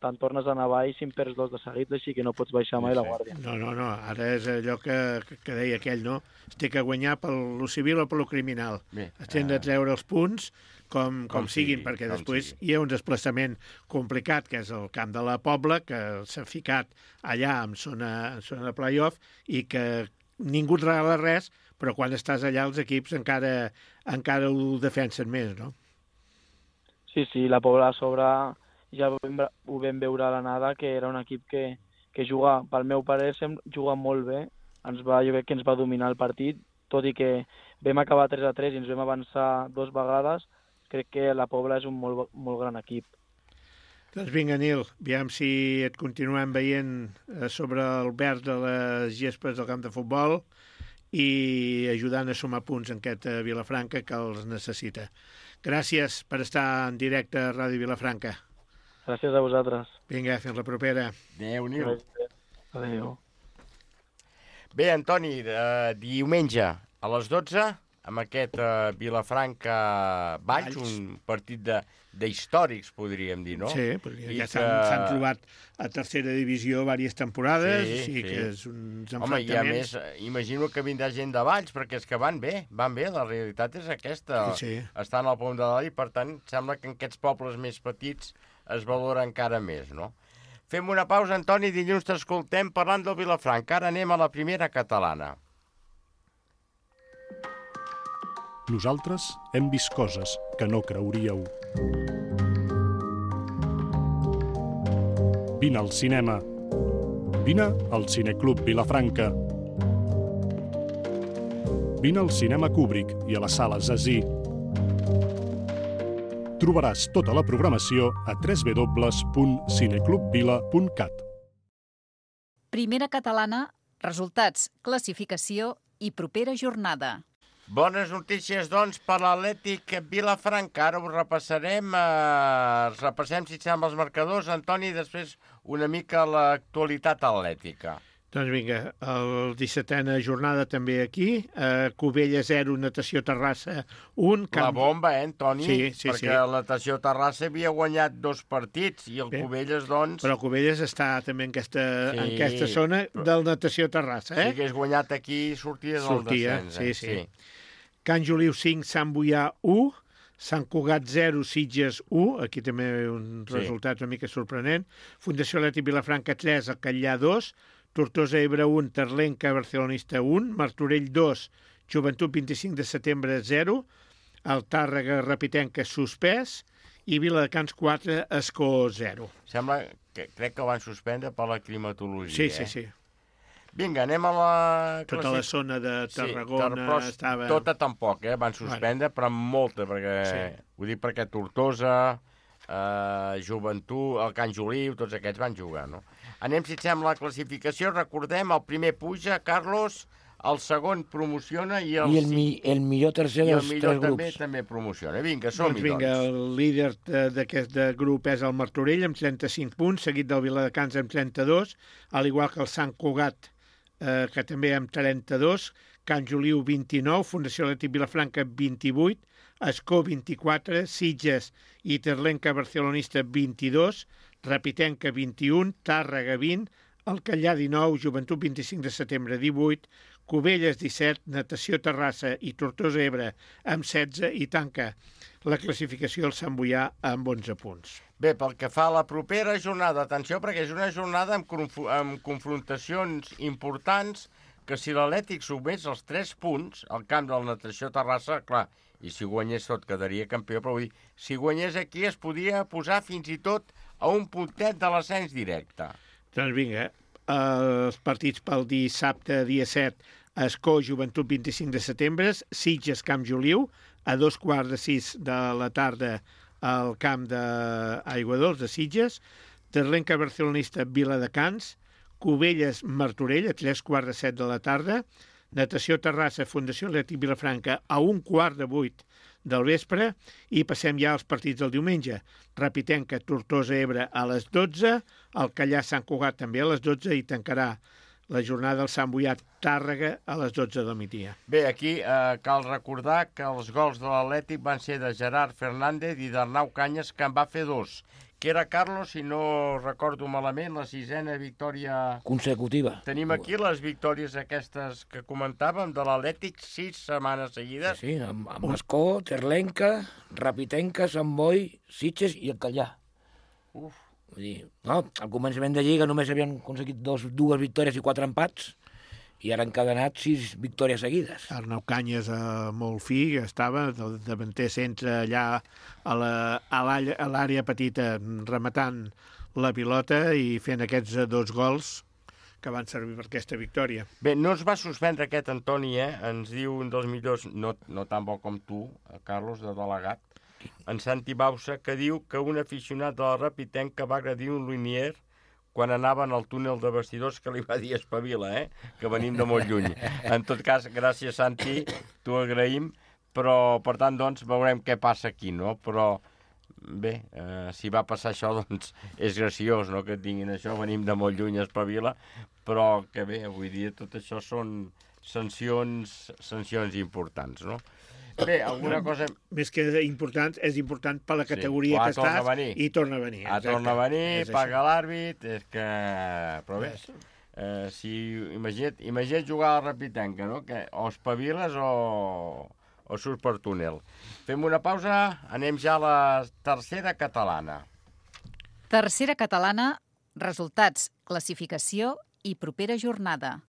te'n tornes a anar baix si en perds 2 de seguits, així que no pots baixar mai la guàrdia. No, ara és allò que deia aquell, no? Es té que guanyar per lo civil o per lo criminal. Es tenen de treure els punts com siguin, perquè després hi ha un desplaçament complicat, que és el camp de la Pobla, que s'ha ficat allà en zona de play-off i que ningú et regala res, però quan estàs allà els equips encara ho defensen més, no? Sí, la Pobla a sobre ja ho vam veure a l'anada, que era un equip que juga, pel meu parer, juga molt bé. Jo crec que ens va dominar el partit, tot i que vam acabar 3-3 i ens vam avançar 2 vegades. Crec que la Pobla és un molt, molt gran equip. Doncs vinga, Nil, aviam si et continuem veient sobre el verd de les gespes del camp de futbol i ajudant a sumar punts en aquest Vilafranca que els necessita. Gràcies per estar en directe a Ràdio Vilafranca. Gràcies a vosaltres. Vinga, fins la propera. Adéu, Nil. Adéu. Bé, Antoni, diumenge a les 12, amb aquest Vilafranca-Valls, un partit d'històrics, podríem dir, no? Sí, perquè ja s'han trobat a tercera divisió diverses temporades, sí, que és uns enfrontaments. Home, i a més, imagino que vindrà gent de Valls, perquè és que van bé, la realitat és aquesta. Sí. Estan al pom de dalt i, per tant, sembla que en aquests pobles més petits es valora encara més, no? Fem una pausa, Antoni, dilluns t'escoltem parlant del Vilafranca. Ara anem a la primera catalana. Nosaltres hem vist coses que no creuríeu. Vine al cinema. Vine al Cineclub Vilafranca. Vine al cinema Kubrick i a la sala Zazie. Trobaràs tota la programació a www.cineclubvila.cat. Primera catalana, resultats, classificació i propera jornada. Bones notícies, doncs, per l'Atlètic Vilafranca. Ara ho repassarem. Repassem, si et sembla, els marcadors, Antoni, i després una mica l'actualitat atlètica. Doncs vinga, el 17a jornada també aquí. Cubelles 0, Natació Terrassa 1. La bomba, Toni? Sí. Perquè la Natació Terrassa havia guanyat 2 partits i el Cubelles, doncs... Però Cubelles està també en aquesta zona del Natació Terrassa, Si hagués guanyat aquí, sortia del descens. Sí. Can Juliu 5, Sant Boià 1. Sant Cugat 0, Sitges 1, aquí també un resultat una mica sorprenent. Fundació Atlètic Vilafranca 3, el Catllà 2, Tortosa Ebre 1, Terlenca Barcelonista 1, Martorell 2, Joventut 25 de setembre 0, el Tàrrega Rapitenca suspès i Viladecans 4, Escó 0. Sembla que crec que van suspendre per la climatologia. Sí. Vinga, anem a la... Tota la zona de Tarragona estava... Tota tampoc, van suspendre, però molta, perquè... Ho dic perquè Tortosa, Joventut, el Can Juliu, tots aquests van jugar, no? Anem, si et sembla, la classificació. Recordem, el primer puja, Carlos, el segon promociona i el millor tercer dels 3 grups. També promociona. Vinga, som-hi, doncs. Vinga, el líder d'aquest grup és el Martorell, amb 35 punts, seguit del Viladecans amb 32, al igual que el Sant Cugat, que també amb 32, Can Juliu 29, Fundació Atlètic Vilafranca 28, Escó 24, Sitges i Terlenca Barcelonista 22, Rapitenca 21, Tàrrega 20, el Catllà 19, Joventut 25 de setembre 18, Cubelles 17, Natació Terrassa i Tortosa Ebre amb 16 i tanca la classificació el Sant Boià amb 11 punts. Bé, pel que fa a la propera jornada, atenció, perquè és una jornada amb confrontacions importants que si l'Atlètic sumés els 3 punts al camp del Natació Terrassa, clar, i si guanyés tot quedaria campió, però vull dir, si guanyés aquí es podia posar fins i tot a un puntet de l'ascens directe. Doncs vinga, els partits pel dissabte, dia 7, Escó, Joventut 25 de setembre, Sitges, Camp Juliu, a 2:45 de la tarda al camp d'Aiguadols de Sitges, Terlenca Barcelonista, Viladecans, Cubelles, Martorell, a 3:15 de la tarda, Natació Terrassa, Fundació Atlètic Vilafranca, a 7:15 del vespre, i passem ja als partits del diumenge. Rapitenca, Tortosa Ebre a les 12, el Catllà Sant Cugat també a les 12 i tancarà la jornada del Sant Boià Tàrrega a les 12 del migdia. Bé, aquí cal recordar que els gols de l'Atlètic van ser de Gerard Fernández i d'Arnau Canyes, que en va fer 2. Que era, Carlos, si no recordo malament, la 6a victòria consecutiva. Tenim aquí les victòries aquestes que comentàvem de l'Atlètic 6 setmanes seguides. Sí, amb Escó, Terlenca, Rapitenca, Sant Boi, Sitges i el Catllà. Vull dir, no, al començament de Lliga només havien aconseguit 2 victòries i 4 empats, i ara han encadenat 6 victòries seguides. Arnau Canyes, molt fi, estava del davanter centre allà a l'àrea petita, rematant la pilota i fent aquests 2 gols que van servir per aquesta victòria. Bé, no es va suspendre aquest Antoni, ens diu un dels millors, no tan bo com tu, Carlos, de delegat, en Santi Bausa, que diu que un aficionat de la Rapitenca va agredir un Linier quan anaven al túnel de vestidors, que li va dir espavila, que venim de molt lluny. En tot cas, gràcies, Santi, t'ho agraïm, però, per tant, doncs, veurem què passa aquí, no? Però, bé, si va passar això, doncs, és graciós, no?, que tinguin això, venim de molt lluny, espavila, però que bé, avui dia tot això són sancions importants, no? Bé, alguna cosa... Més que important, és important per la categoria que estàs i torna a venir. Torna a venir, paga l'àrbit, és que... Però bé, imagina't jugar a la Rapitenca, no? Que o espaviles o surts per túnel. Fem una pausa, anem ja a la tercera catalana. Tercera catalana, resultats, classificació i propera jornada.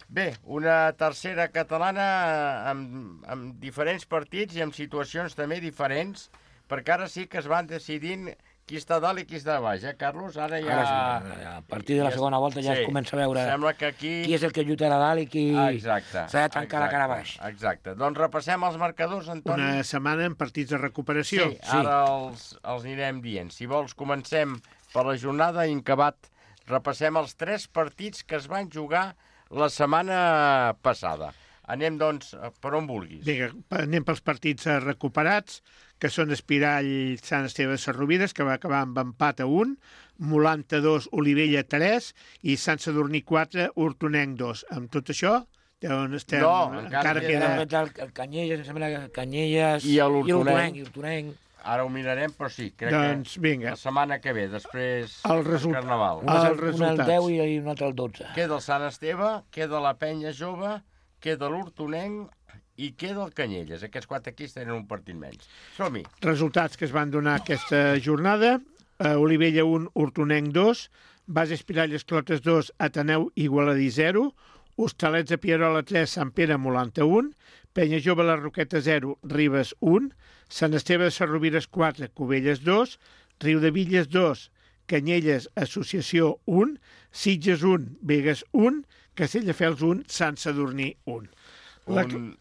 Bé, una tercera catalana amb diferents partits i amb situacions també diferents, perquè ara sí que es van decidint qui està dalt i qui està baix, Carlos? Ara ja... A partir de la segona volta ja es comença a veure qui és el que lluitarà dalt i qui s'ha de trencar la cara baix. Exacte. Doncs repassem els marcadors, Antoni. Una setmana amb partits de recuperació. Sí, ara els anirem dient. Si vols, comencem per la jornada Incabat. Repassem els 3 partits que es van jugar la setmana passada. Anem, doncs, per on vulguis. Vinga, anem pels partits recuperats, que són Espirall, Sant Esteve de Sarrovires, que va acabar amb empat a 1, Molanta 2, Olivella 3 i Sant Sadurní 4, Hortonenc 2. Amb tot això, on estem? No, encara queda... El Canyelles, em sembla que Canyelles i l'Hortonenc. Ara ho mirarem, però sí, crec doncs, vinga. La setmana que ve, després del Carnaval. Un al 10 i un altre al 12. Queda el Sant Esteve, queda la Penya Jove, queda l'Hortonenc i queda el Canyelles. Aquests 4 equips tenen un partit menys. Som-hi. Resultats que es van donar aquesta jornada. Olivella 1, Hortonenc 2, Base Espirall Esclotes 2, Ateneu Igualadí 0, Hostalets de Pierola 3, Sant Pere Molanta 1, Penya Jove La Roqueta 0, Ribes 1, Sant Esteve de Sarrovires 4, Cubelles 2, Riudevilles 2, Canyelles Associació 1, Sitges 1, Begues 1, Castelldefels 1, Sant Sadurní 1.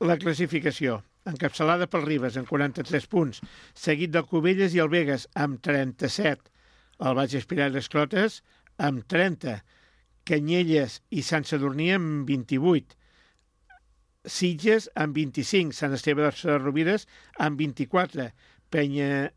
La classificació, encapçalada pel Ribes amb 43 punts, seguit del Cubelles i el Begues amb 37, el Baix Espirall Esclotes amb 30, Canyelles i Sant Sadurní amb 28, Sitges amb 25, Sant Esteve de Sarrovires amb 24, Penya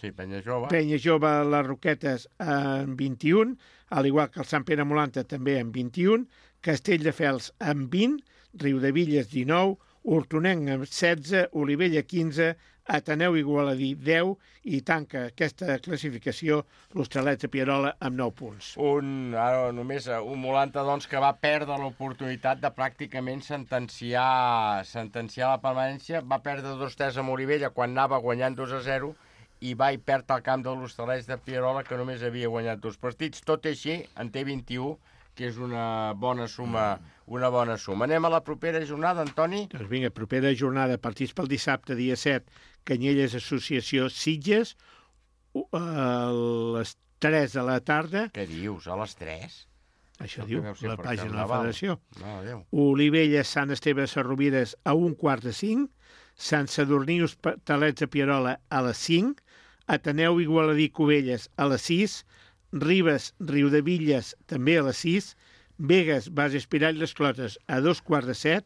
Jove Les Roquetes amb 21, al igual que el Sant Pere Molanta també amb 21, Castelldefels amb 20, Riudevilles 19, Hortonenc amb 16, Olivella 15, Ateneu Igualadí 10 i tanca aquesta classificació l'Hostalets de Pierola amb 9 punts. Només un Molanta, doncs, que va perdre l'oportunitat de pràcticament sentenciar la permanència. Va perdre 2-3 amb Olivella quan anava guanyant 2-0 i va i perd al camp de l'Hostalets de Pierola, que només havia guanyat 2 partits. Tot i així, en té 21, que és una bona suma. Anem a la propera jornada, Antoni? Doncs vinga, propera jornada, partits pel dissabte, dia 7, Canyelles Associació Sitges, a les 3 de la tarda. Què dius, a les 3? Això diu la pàgina de la Federació. No, Olivella, Sant Esteve de Sarrovires a 1:45, Sant Sadurní Hostalets de Pierola a les 5, Ateneu Igualadí Cubelles a les 6, Ribes Riudevilles també a les 6, Begues Base Espirall Esclotes a 2:15,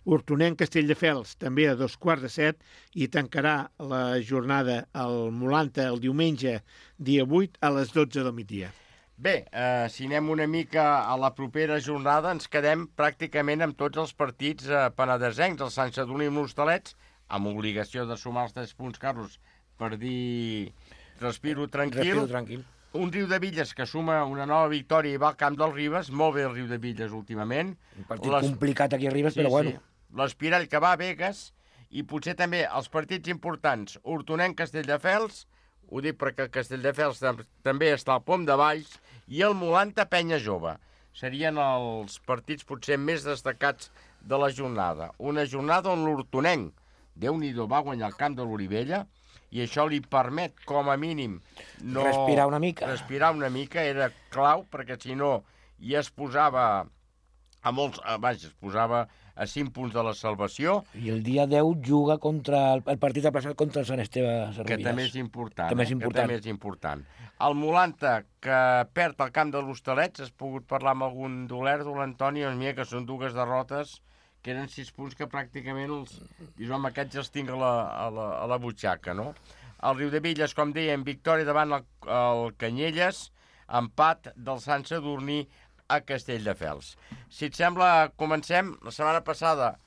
Hortonenc Castelldefels també a 2:15 i tancarà la jornada al Molanta el diumenge, dia 8, a les 12 del migdia. Bé, si anem una mica a la propera jornada, ens quedem pràcticament amb tots els partits penedesencs, el Sant Sadurní i l'Hostalets, amb obligació de sumar els 3 punts, Carlos, per dir respiro tranquil. Un Riudevilles que suma una nova victòria i va al camp dels Ribes, molt bé el Riudevilles últimament. Un partit complicat aquí a Ribes, però bueno. L'Espirall que va a Begues i potser també els partits importants, Hortonenc Castelldefels, ho dic perquè el Castelldefels també està al pom de Valls, i el Molanta Penya Jove. Serien els partits potser més destacats de la jornada. Una jornada on l'Hortonenc, Déu-n'hi-do, va guanyar el camp de l'Olivella, i això li permet, com a mínim, respirar una mica, era clau, perquè si no ja es posava a 5 punts de la salvació. I el dia 10 juga contra el partit aplaçat contra el Sant Esteve de Sarrovires. Que també és important. El Molanta, que perd el camp de l'Hostalets, has pogut parlar amb algun Antoni, que són 2 derrotes, que eren 6 punts que pràcticament aquests els tinc a la butxaca, no? El Riudevilles, com dèiem, victòria davant el Canyelles, empat del Sant Sadurní a Castelldefels. Si et sembla, comencem. La setmana passada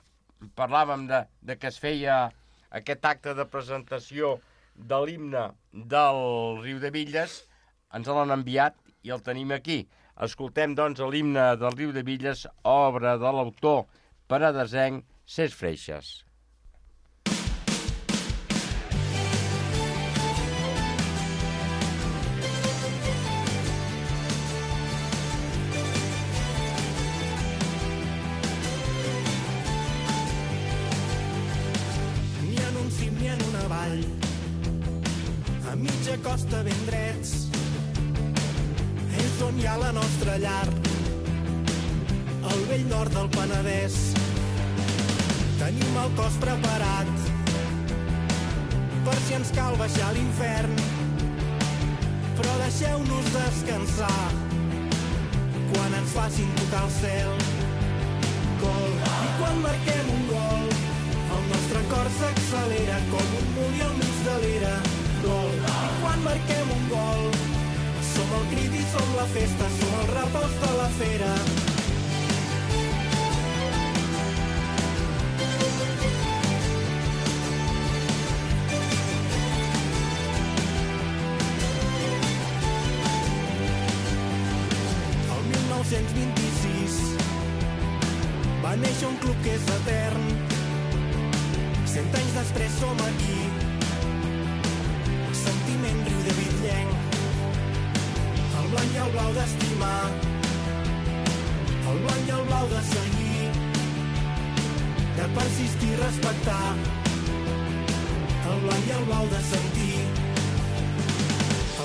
parlàvem de que es feia aquest acte de presentació de l'himne del Riudevilles, ens l'han enviat i el tenim aquí. Escoltem, doncs, l'himne del Riudevilles, obra de l'autor penedesenc Cesc Freixas. Ni en un cim ni en una vall, a mitja costa ben drets, és on hi ha la nostra llar, al vell nord del Penedès. Tenim el cos preparat per si ens cal baixar a l'infern, però deixeu-nos descansar quan ens facin tocar el cel. gol. I quan marquem un gol, el nostre cor s'accelera com un molí al mig de l'era. Gol. I quan marquem un gol, som el crit i som la festa, som el repòs de la fera. El 1926 va néixer un club que és etern. 100 anys després som aquí. Sentiment riu de bitllenc. El blanc i el blau d'estimar. El blanc i el blau de seguir. De persistir i respectar. El blanc i el blau de sentir.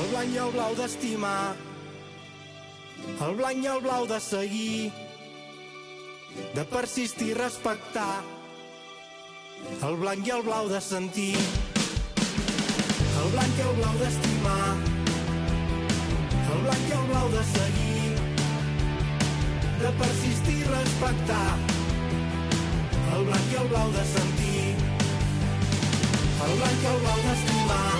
El blanc i el blau d'estimar. El blanc i el blau de seguir. De persistir i respectar. El blanc i el blau de sentir. El blanc i el blau d'estimar. El blanc i el blau de seguir. De persistir i respectar. El blanc i el blau de sentir. El blanc i el blau d'estimar.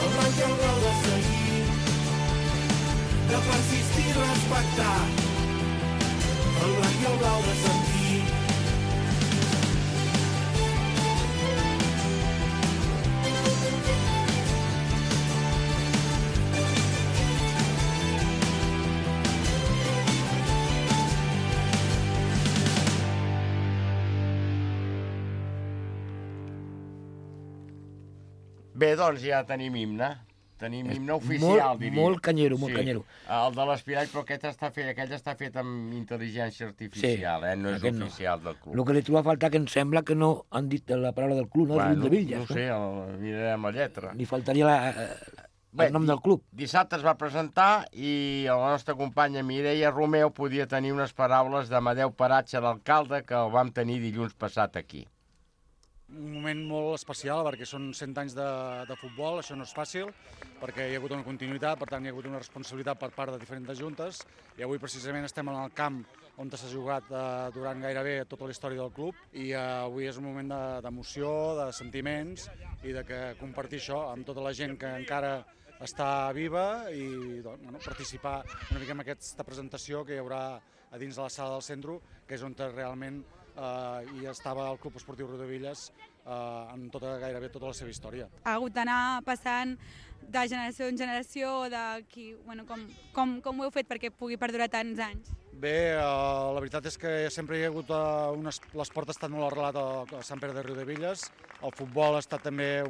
El blanc i el blau de seguir. De persistir i respectar. El blanc i el blau de sentir. Bé, doncs ja tenim himne. Tenim himne oficial, diria. Molt canyero, molt canyero. El de l'Espirall, però aquell està fet amb intel·ligència artificial, no és oficial del club. El que li trobo a faltar que em sembla que no han dit la paraula del club, no? Bueno, El de Villas. No sé, mirarem la lletra. Li faltaria el nom del club. Dissabte es va presentar i la nostra companya Mireia Romeu podia tenir unes paraules d'Amadeu Paratge, l'alcalde, que el vam tenir dilluns passat aquí. Un moment molt especial perquè són 100 anys de futbol, això no és fàcil, perquè hi ha hagut una continuïtat, per tant hi ha hagut una responsabilitat per part de diferents juntes i avui precisament estem en el camp on s'ha jugat durant gairebé tota la història del club i avui és un moment d'emoció, de sentiments i de que compartir això amb tota la gent que encara està viva i doncs, participar una mica en aquesta presentació que hi haurà a dins de la sala del centre, que és on realment hi estava el Club Esportiu Riudebitlles en gairebé tota la seva història. Ha hagut d'anar passant de generació en generació, com ho heu fet perquè pugui perdurar tants anys? Bé, la veritat és que sempre hi ha hagut l'esport ha estat molt arrelat a Sant Pere de Riudebitlles, el futbol ha estat també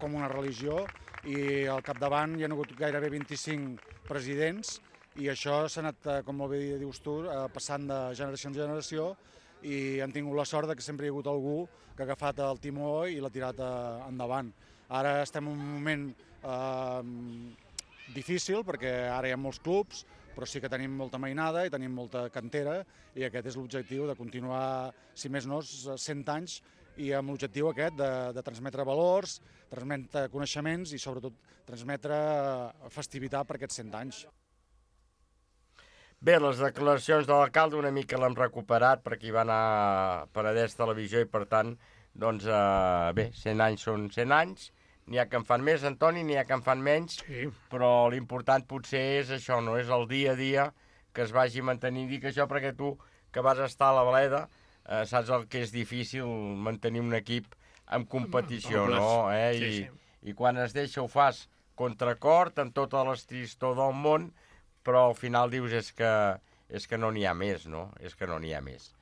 com una religió i al capdavant hi ha hagut gairebé 25 presidents i això s'ha anat, com molt bé dius tu, passant de generació en generació i han tingut la sort que sempre hi ha hagut algú que ha agafat el timó i l'ha tirat endavant. Ara estem en un moment difícil perquè ara hi ha molts clubs, però sí que tenim molta mainada i tenim molta cantera i aquest és l'objectiu de continuar, si més no, 100 anys i amb l'objectiu aquest de transmetre valors, transmetre coneixements i sobretot transmetre festivitat per aquests 100 anys. Bé, les declaracions de l'alcalde una mica l'hem recuperat perquè hi va anar a Penedès Televisió i per tant, doncs, bé, 100 anys són 100 anys, n'hi ha que en fan més, Antoni, n'hi ha que en fan menys, sí. Però l'important potser és això, no? És el dia a dia que es vagi mantenint. Dic això perquè tu, que vas estar a la Bleda, saps el que és difícil mantenir un equip en competició, no? Sí, sí. I quan es deixa ho fas contracort, amb tota l'estristor del món, però al final dius és que no n'hi ha més, no? És que no n'hi ha més.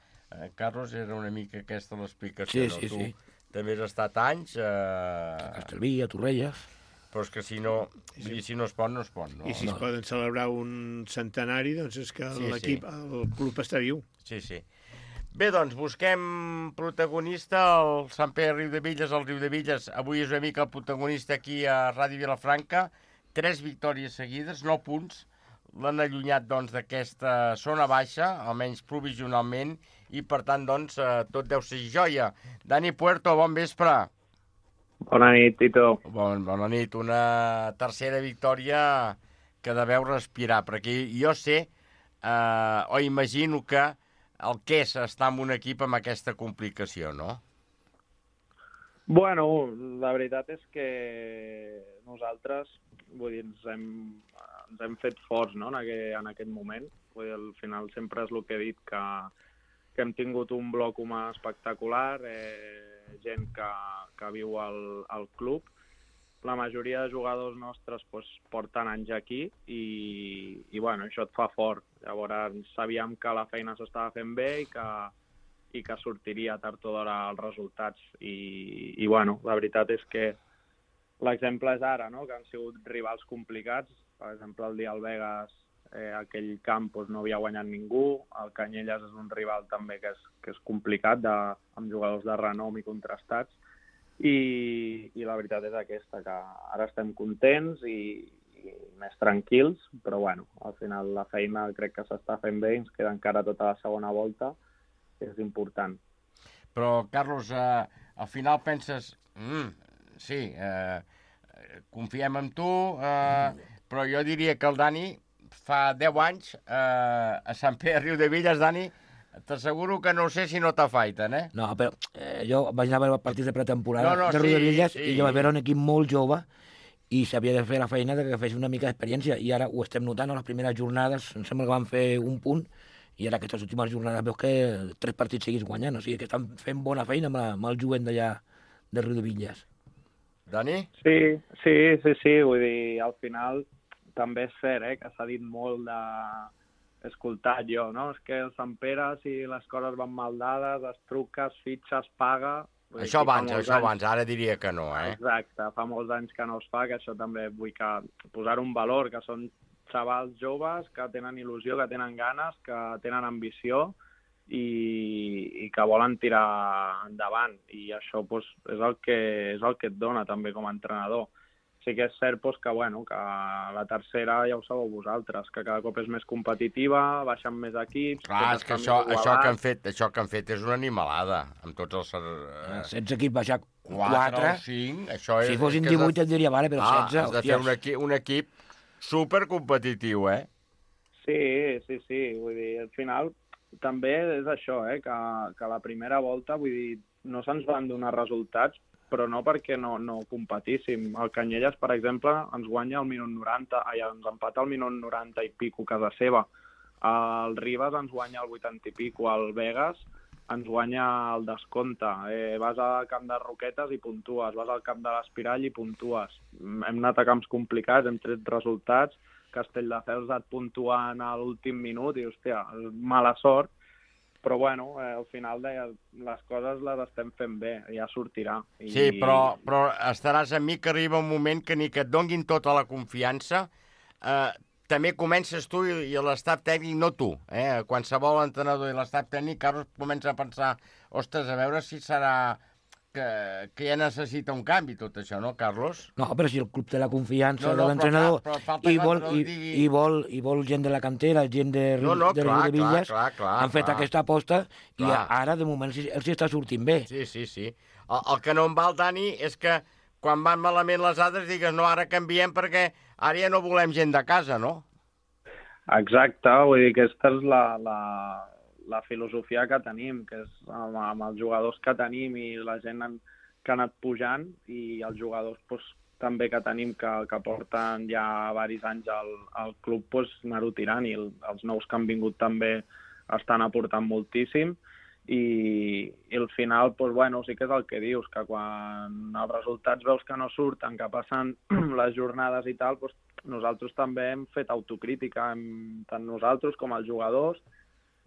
Carlos, era una mica aquesta l'explicació, no? Sí, sí. Tu també has estat anys... A Castellví, a Torrelles... Però és que si no es pot, no es pot, no? I si es poden celebrar un centenari, doncs és que l'equip, el club està viu. Sí, sí. Bé, doncs, busquem protagonista, el Sant Pere Riudebitlles, el Riudebitlles. Avui és una mica el protagonista aquí a Ràdio Vilafranca. 3 victòries seguides, 9 punts. L'han allunyat, doncs, d'aquesta zona baixa, almenys provisionalment, i, per tant, doncs, tot deu ser joia. Dani Puerto, bon vespre. Bona nit, Tito. Bona nit. Una tercera victòria que deveu respirar, perquè jo sé, o imagino que el que és estar en un equip amb aquesta complicació, no? Bueno, la veritat és que nosaltres, vull dir, ens hem fet forts, no?, en aquest moment. Vull dir, al final sempre és el que he dit, que hem tingut un bloc humà espectacular, gent que viu al club. La majoria de jugadors nostres porten anys aquí i bueno, això et fa fort. Llavors sabíem que la feina s'estava fent bé i que sortiria tard o d'hora els resultats. I bueno, la veritat és que l'exemple és ara, no?, que han sigut rivals complicats. Per exemple, el dia al Vegas, aquell camp no havia guanyat ningú. El Canyelles és un rival també que és complicat, amb jugadors de renom i contrastats. I la veritat és aquesta, que ara estem contents i més tranquils, però bueno, al final la feina crec que s'està fent bé i ens queda encara tota la segona volta, que és important. Però, Carlos, al final penses, sí, confiem en tu, però jo diria que el Dani fa 10 anys a Sant Pere Riudebitlles, Dani, t'asseguro que no sé si no t'afaiten, eh? No, però jo vaig anar a veure partits de pretemporada de sí, Riudebitlles sí. i jo vaig veure un equip molt jove i s'havia de fer la feina de que fes una mica d'experiència i ara ho estem notant, a les primeres jornades em sembla que van fer un punt i ara aquestes últimes jornades veus que 3 partits seguits guanyant, o sigui que estan fent bona feina amb el jovent d'allà de Riudebitlles. Dani? Sí, vull dir, al final també és cert, que s'ha dit molt escoltat jo, no? És que el Sant Pere, si les coses van mal dades, es truca, es fitxa, es paga... Això abans, ara diria que no, eh? Exacte, fa molts anys que no es fa, que això també vull posar un valor, que són xavals joves que tenen il·lusió, que tenen ganes, que tenen ambició i que volen tirar endavant. I això és el que et dona també com a entrenador. Sí que és cert que la tercera ja ho sabeu vosaltres, que cada cop és més competitiva, baixen més equips... Clar, és que això que han fet és una animalada, amb tots els... 16 equips baixar 4 o 5, això és... Si fossin 18 et diria, vale, però 16... Has de fer un equip supercompetitiu, eh? Sí, vull dir, al final també és això, que la primera volta, vull dir, no se'ns van donar resultats, però no perquè no competíssim. El Canyelles, per exemple, ens guanya al minut 90, ens empata al minut 90 i pico a casa seva. El Ribas ens guanya al 80 i pico. El Vegas ens guanya al descompte. Vas al camp de Roquetes i puntues. Vas al camp de l'Espirall i puntues. Hem anat a camps complicats, hem tret resultats. Castelldefels et puntuant a l'últim minut i, hòstia, mala sort. Però, bueno, al final les coses les estem fent bé, ja sortirà. Sí, però estaràs amb mi que arriba un moment que ni que et donguin tota la confiança, també comences tu i l'estaf tècnic, no tu, qualsevol entrenador i l'estaf tècnic, Carlos, comença a pensar, ostres, a veure si serà que ja necessita un canvi tot això, no, Carlos? No, però si el club té la confiança de l'entrenador i vol gent de la cantera, gent de Riudebitlles, han fet aquesta aposta i ara, de moment, els està sortint bé. Sí. El que no em val, Dani, és que quan van malament les altres digues, no, ara canviem perquè ara ja no volem gent de casa, no? Exacte, vull dir que aquesta és la filosofia que tenim, que és amb els jugadors que tenim i la gent que ha anat pujant i els jugadors també que tenim que porten ja diversos anys al club, anar-ho tirant i els nous que han vingut també estan aportant moltíssim i al final, sí que és el que dius, que quan els resultats veus que no surten, que passen les jornades i tal, nosaltres també hem fet autocrítica, tant nosaltres com els jugadors,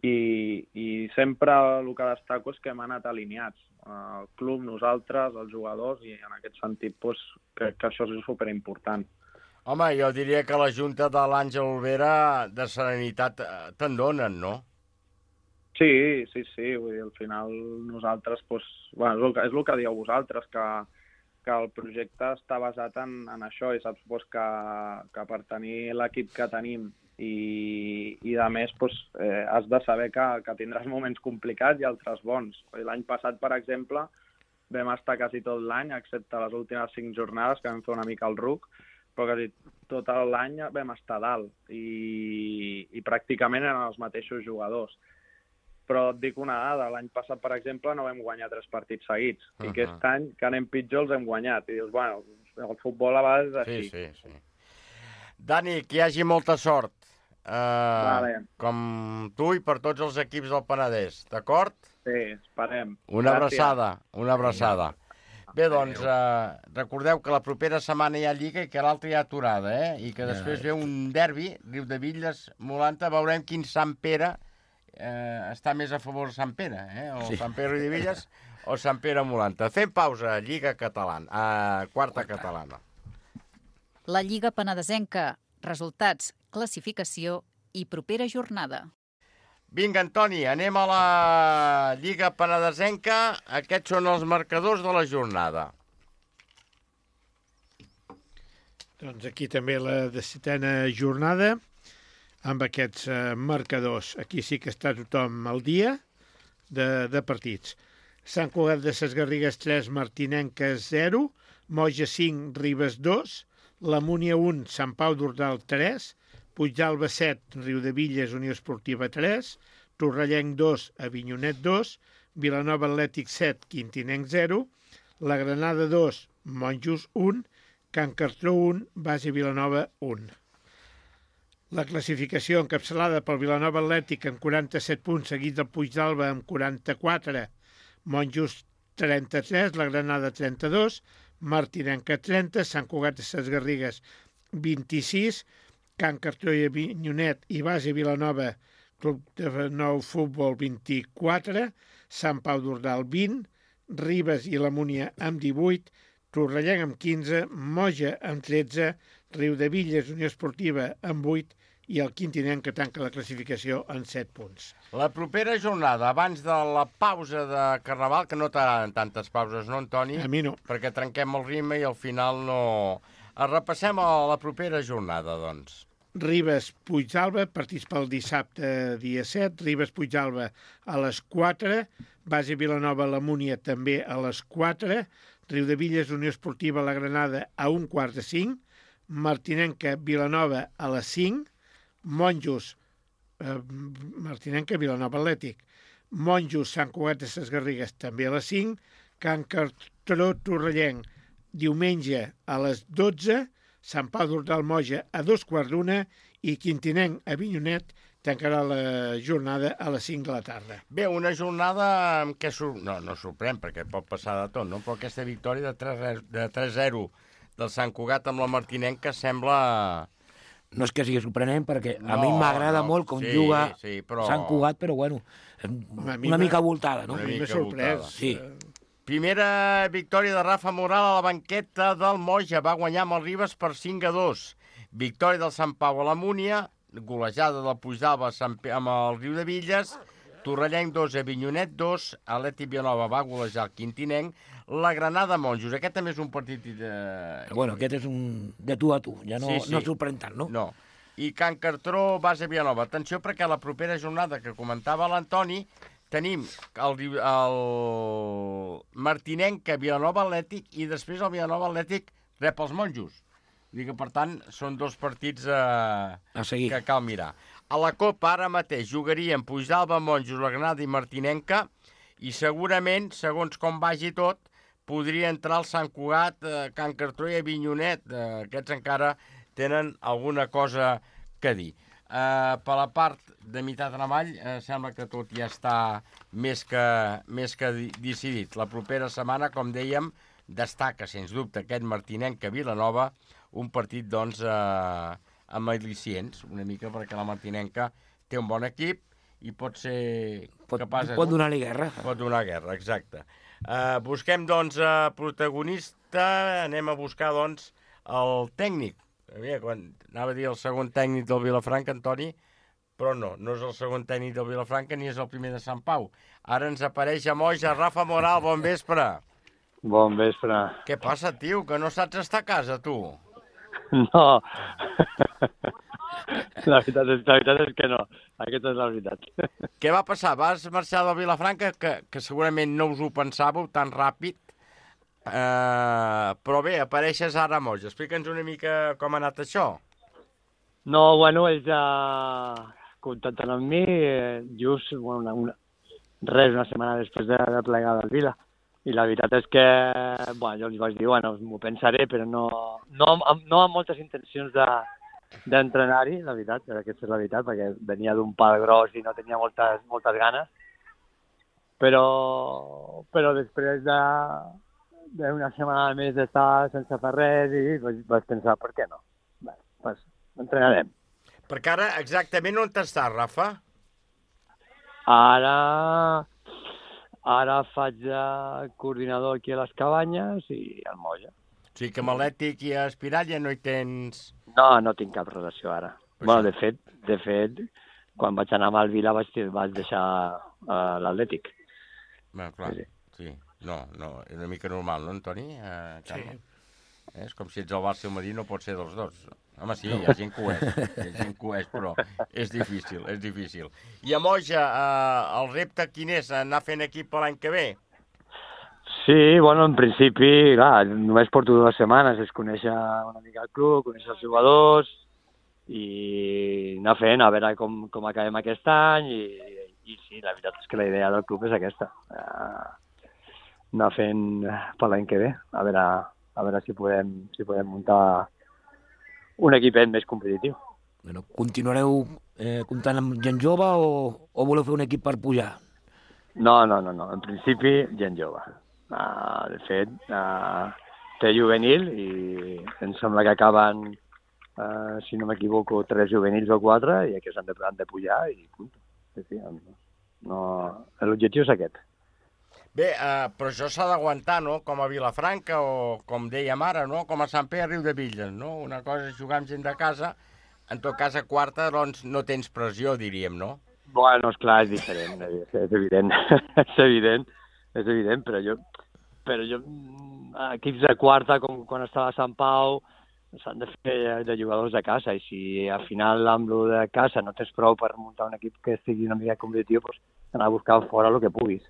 i sempre el que destaco és que hem anat alineats. El club, nosaltres, els jugadors, i en aquest sentit crec que això és superimportant. Home, jo diria que la junta de l'Àngel Olvera de serenitat te'n donen, no? Sí, vull dir, al final nosaltres, és el que dieu vosaltres, que el projecte està basat en això, i saps que per tenir l'equip que tenim i a més has de saber que tindràs moments complicats i altres bons. L'any passat, per exemple, vam estar quasi tot l'any, excepte les últimes 5 jornades, que vam fer una mica el ruc, però quasi tot l'any vam estar dalt i pràcticament eren els mateixos jugadors. Però et dic una dada, l'any passat, per exemple, no vam guanyar 3 partits seguits. I aquest any, que anem pitjor, els hem guanyat. I dius, bueno, el futbol a vegades és així. Sí. Dani, que hi hagi molta sort. Vale. Com tu i per tots els equips del Penedès, d'acord? Sí, esperem. Una abraçada. Bé, doncs, recordeu que la propera setmana hi ha Lliga i que l'altra hi ha aturada, I que després ve un derbi, Riudebitlles-Molanta, veurem quin Sant Pere està més a favor de Sant Pere, o Sant Pere Riudebitlles o Sant Pere Molanta. Fem pausa, Lliga Catalana, quarta catalana. La Lliga Penedesenca, resultats, classificació i propera jornada. Vinga, Antoni, anem a la Lliga Penedesenca. Aquests són els marcadors de la jornada. Doncs aquí també la 17a jornada, amb aquests marcadors. Aquí sí que està tothom al dia de partits. Sant Cugat de Ses Garrigues 3, Martinenques 0, Moja 5, Ribes 2, la Múnia 1, Sant Pau d'Ordal 3, Puigdàlber 7, Riudebitlles, Unió Esportiva 3, Torrellenc 2, Avinyonet 2, Vilanova Atlètic 7, Quintinenc 0, la Granada 2, Monjos 1, Can Cartró 1, Base Vilanova 1. La classificació encapçalada pel Vilanova Atlètic amb 47 punts, seguit del Puigdàlber amb 44, Monjos 33, la Granada 32, Martinenca 30, Sant Cugat de Ses Garrigues 26, Can Cartró i Avinyonet i Base Vilanova, Club de Nou Futbol 24, Sant Pau d'Ordal 20, Ribes i la Múnia amb 18, Torrellenc amb 15, Moja amb 13, Riudebitlles, Unió Esportiva amb 8 i el Quintinenc que tanca la classificació en 7 punts. La propera jornada, abans de la pausa de Carnaval, que no t'agraden tantes pauses, no, Antoni? A mi no. Perquè trenquem el ritme i al final no... Repassem a la propera jornada, doncs. Ribes Puigdàlber, partits pel dissabte dia 7, Ribes Puigdàlber a les 4, Base Vilanova la Múnia també a les 4, Riudebitlles Unió Esportiva la Granada a 4:45, Martinenca Vilanova a les 5, Monjos Martinenca Vilanova Atlètic, Monjos Sant Cugat de Ses Garrigues també a les 5, Can Cartró Torrellenc diumenge a les 12, Sant Pau d'Ordal Moja a 2:15 i Quintinenc Avinyonet tancarà la jornada a les 5 de la tarda. Bé, una jornada que no sorprèn, perquè pot passar de tot, no? Però aquesta victòria de 3-0 del Sant Cugat amb la Martinenca sembla... No és que sigui sorprenent, perquè a mi m'agrada molt com juga però... Sant Cugat, però bueno, una mica voltada, no? Una mica sorprès. Sí. Primera victòria de Rafa Moral a la banqueta del Moja. Va guanyar amb el Ribes per 5-2. Victòria del Sant Pau a la Múnia, golejada del Puigdàlber amb el Riudebitlles, Torrellenc 2, Avinyonet 2, Atlètic Vilanova va golejar el Quintinenc, la Granada Monjos. Aquest també és un partit... Bueno, aquest és un de tu a tu, ja no sorprèn tant, no? No. I Can Cartró, Base Vilanova. Atenció, perquè la propera jornada que comentava l'Antoni tenim el Martinenca Vilanova Atlètic i després el Vilanova Atlètic rep els Monjos. Vull dir que, per tant, són dos partits que cal mirar. A la Copa, ara mateix, jugarien Puigdàlber, Monjos, la Granada i Martinenca, i segurament, segons com vagi tot, podria entrar el Sant Cugat, Can Cartró i Avinyonet. Aquests encara tenen alguna cosa que dir. Per la part de meitat en avall, sembla que tot ja està més que decidit. La propera setmana, com dèiem, destaca, sens dubte, aquest Martinenca Vilanova, un partit, doncs, amb al·licients, una mica, perquè la Martinenca té un bon equip i pot ser capaç... Pot donar-li guerra. Pot donar guerra, exacte. Busquem, doncs, protagonista, anem a buscar, doncs, el tècnic. Anava a dir el segon tècnic del Vilafranca, Antoni, però no és el segon tècnic del Vilafranca ni és el primer de Sant Pau. Ara ens apareix a Moja. Rafa Moral, bon vespre. Bon vespre. Què passa, tio, que no saps estar a casa, tu? No. La veritat és que no. Aquesta és la veritat. Què va passar? Vas marxar del Vilafranca, que segurament no us ho pensàveu tan ràpid, però bé, apareixes ara a Moja. Explica'ns una mica com ha anat això. No, bueno, ells ja contacten amb mi, just res, una setmana després de plegar del Vila. I la veritat és que, bueno, jo els vaig dir, bueno, m'ho pensaré, però no amb moltes intencions d'entrenar-hi, la veritat, aquesta és la veritat, perquè venia d'un pal gros i no tenia moltes ganes. Però després d'una setmana més d'estar sense fer res, i vaig pensar, per què no? Bé, doncs entrenarem. Perquè ara exactament on t'estàs, Rafa? Ara faig de coordinador aquí a les Cabanyes i al Molla. O sigui que amb l'Ètic i a Espirall ja no hi tens... No tinc cap relació ara. Bueno, de fet, quan vaig anar amb el Vila vaig deixar l'Atlètic. Bé, clar, sí. No, és una mica normal, no, Antoni? Sí. És com si ets al Barça i el Madrid, no pot ser dels dos. Home, sí, hi ha gent que ho és, però és difícil. I a Moja, el repte quin és? Anar fent equip l'any que ve? Sí, bueno, en principi, clar, només porto 2 setmanes, és conèixer una mica el club, conèixer els jugadors i anar fent, a veure com acabem aquest any i sí, la veritat és que la idea del club és aquesta. Anar fent per l'any que ve, a veure si podem muntar un equipet més competitiu. Bueno, continuareu comptant amb gent jove o voleu fer un equip per pujar? No. En principi, gent jove. De fet, té juvenil i em sembla que acaben, si no m'equivoco, 3 juvenils o 4 i aquests han de pujar i punt. Sí, l'objectiu és aquest. Bé, però això s'ha d'aguantar, no? Com a Vilafranca o, com dèiem ara, no? Com a Sant Pere Riudebitlles, no? Una cosa és jugar amb gent de casa, en tot cas a quarta doncs no tens pressió, diríem, no? Bueno, esclar, és diferent, és evident, és evident, però jo, equips de quarta, com quan estava a Sant Pau, s'han de fer de jugadors de casa, i si al final amb lo de casa no tens prou per muntar un equip que estigui una mica competitiu, doncs anar a buscar fora el que puguis.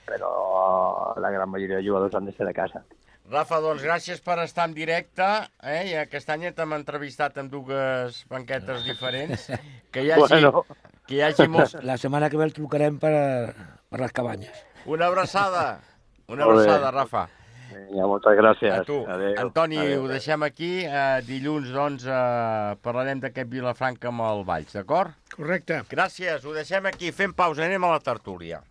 Però la gran majoria de jugadors han de ser de casa. Rafa, doncs gràcies per estar en directe, i aquest any t'hem entrevistat en 2 banquetes diferents. Que hi hagi molts... La setmana que ve el trucarem per les Cabanyes. Una abraçada, Rafa. Vinga, moltes gràcies. A tu. Adéu. Antoni, ho deixem aquí. Dilluns, doncs, parlarem d'aquest Vilafranca amb el Valls, d'acord? Correcte. Gràcies, ho deixem aquí. Fem pausa, anem a la tertúlia.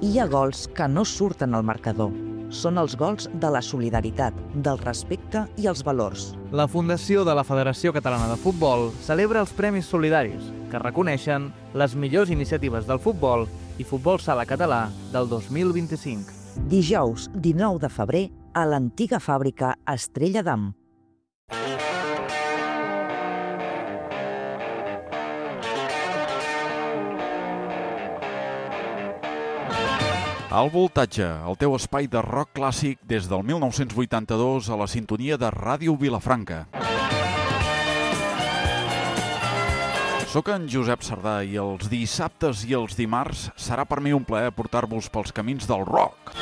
Hi ha gols que no surten al marcador. Són els gols de la solidaritat, del respecte i els valors. La Fundació de la Federació Catalana de Futbol celebra els Premis Solidaris, que reconeixen les millors iniciatives del futbol i futbol sala català del 2025. Dijous, 19 de febrer, a l'antiga fàbrica Estrella d'Am. Al Voltatge, el teu espai de rock clàssic des del 1982 a la sintonia de Ràdio Vilafranca. Soc en Josep Sardà i els dissabtes i els dimarts serà per mi un plaer portar-vos pels camins del rock.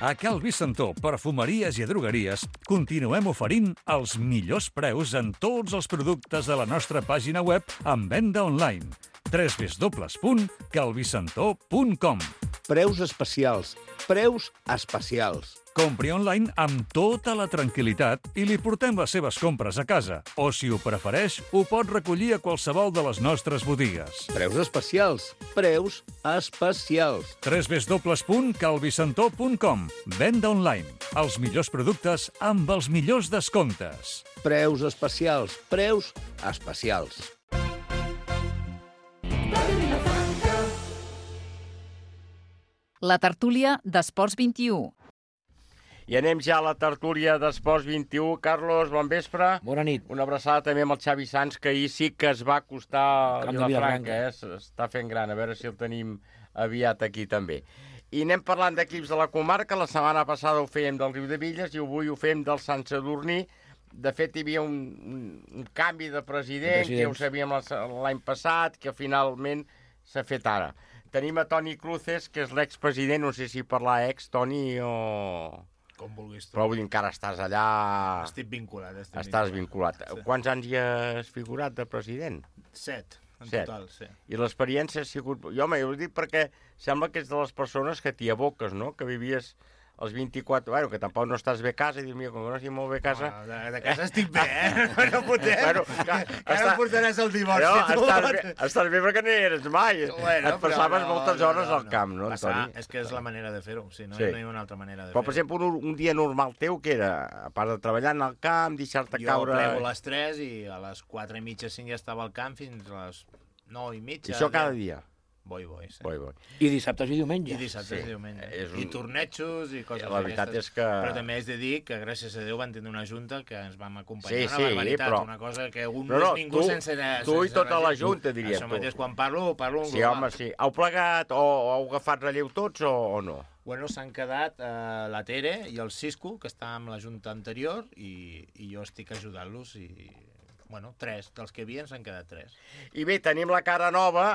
A Cal Vicentó, perfumeries i drogueries, continuem oferint els millors preus en tots els productes de la nostra pàgina web en venda online. www.calvicentó.com. Preus especials. Preus especials. Compri online amb tota la tranquil·litat i li portem les seves compres a casa. O, si ho prefereix, ho pot recollir a qualsevol de les nostres botigues. Preus especials. Preus especials. www.calvicentó.com. Venda online. Els millors productes amb els millors descomptes. Preus especials. Preus especials. La tertúlia d'Esports 21. I anem ja a la tertúlia d'Esports 21. Carlos, bon vespre. Bona nit. Una abraçada també amb el Xavi Sans, que ahir sí que es va acostar a Vilafranca. Està fent gran. A veure si el tenim aviat aquí també. I anem parlant d'equips de la comarca. La setmana passada ho fèiem del Riudebitlles i avui ho fèiem del Sant Sadurní. De fet, hi havia un canvi de president, que ja ho sabíem l'any passat, que finalment s'ha fet ara. Tenim a Toni Cruces, que és l'expresident, no sé si parlar ex, Toni, o... Com vulguis tu. Però vull dir, encara estàs allà... Estic vinculat. Estàs vinculat. Sí. Quants anys hi has figurat de president? 7, en total, sí. I l'experiència ha sigut... Jo, home, jo ho dic perquè sembla que ets de les persones que t'hi aboques, no? Que vivies els 24... Bueno, que tampoc no estàs bé a casa, i dius, mira, com que no estic molt bé a casa... De casa estic bé, No fotem. Bueno, ara portaràs el divorci, tu. Estàs bé perquè no hi eres mai. Et passaves moltes hores al camp, no, Toni? És que és la manera de fer-ho, si no hi ha una altra manera de fer-ho. Però, per exemple, un dia normal teu, que era, a part de treballar en el camp, deixar-te caure... Jo plego a les 3 i a les 4:30, 5 ja estava al camp fins a les 9:30. I això cada dia? Boi, sí. Boi. I dissabtes i diumenge. I dissabtes i diumenge. I tornejos i coses la veritat és que... Però també has de dir que, gràcies a Déu, van tenir una junta que ens vam acompanyar una barbaritat, però... una cosa que no és ningú sense... Tu i tota la junta, diries tu. Això mateix, quan parlo en global. Sí, home, sí. Heu plegat o heu agafat relleu tots o no? Bueno, s'han quedat la Tere i el Cisco, que està amb la junta anterior, i jo estic ajudant-los i... Bueno, 3. Dels que hi havia s'han quedat 3. I bé, tenim la cara nova,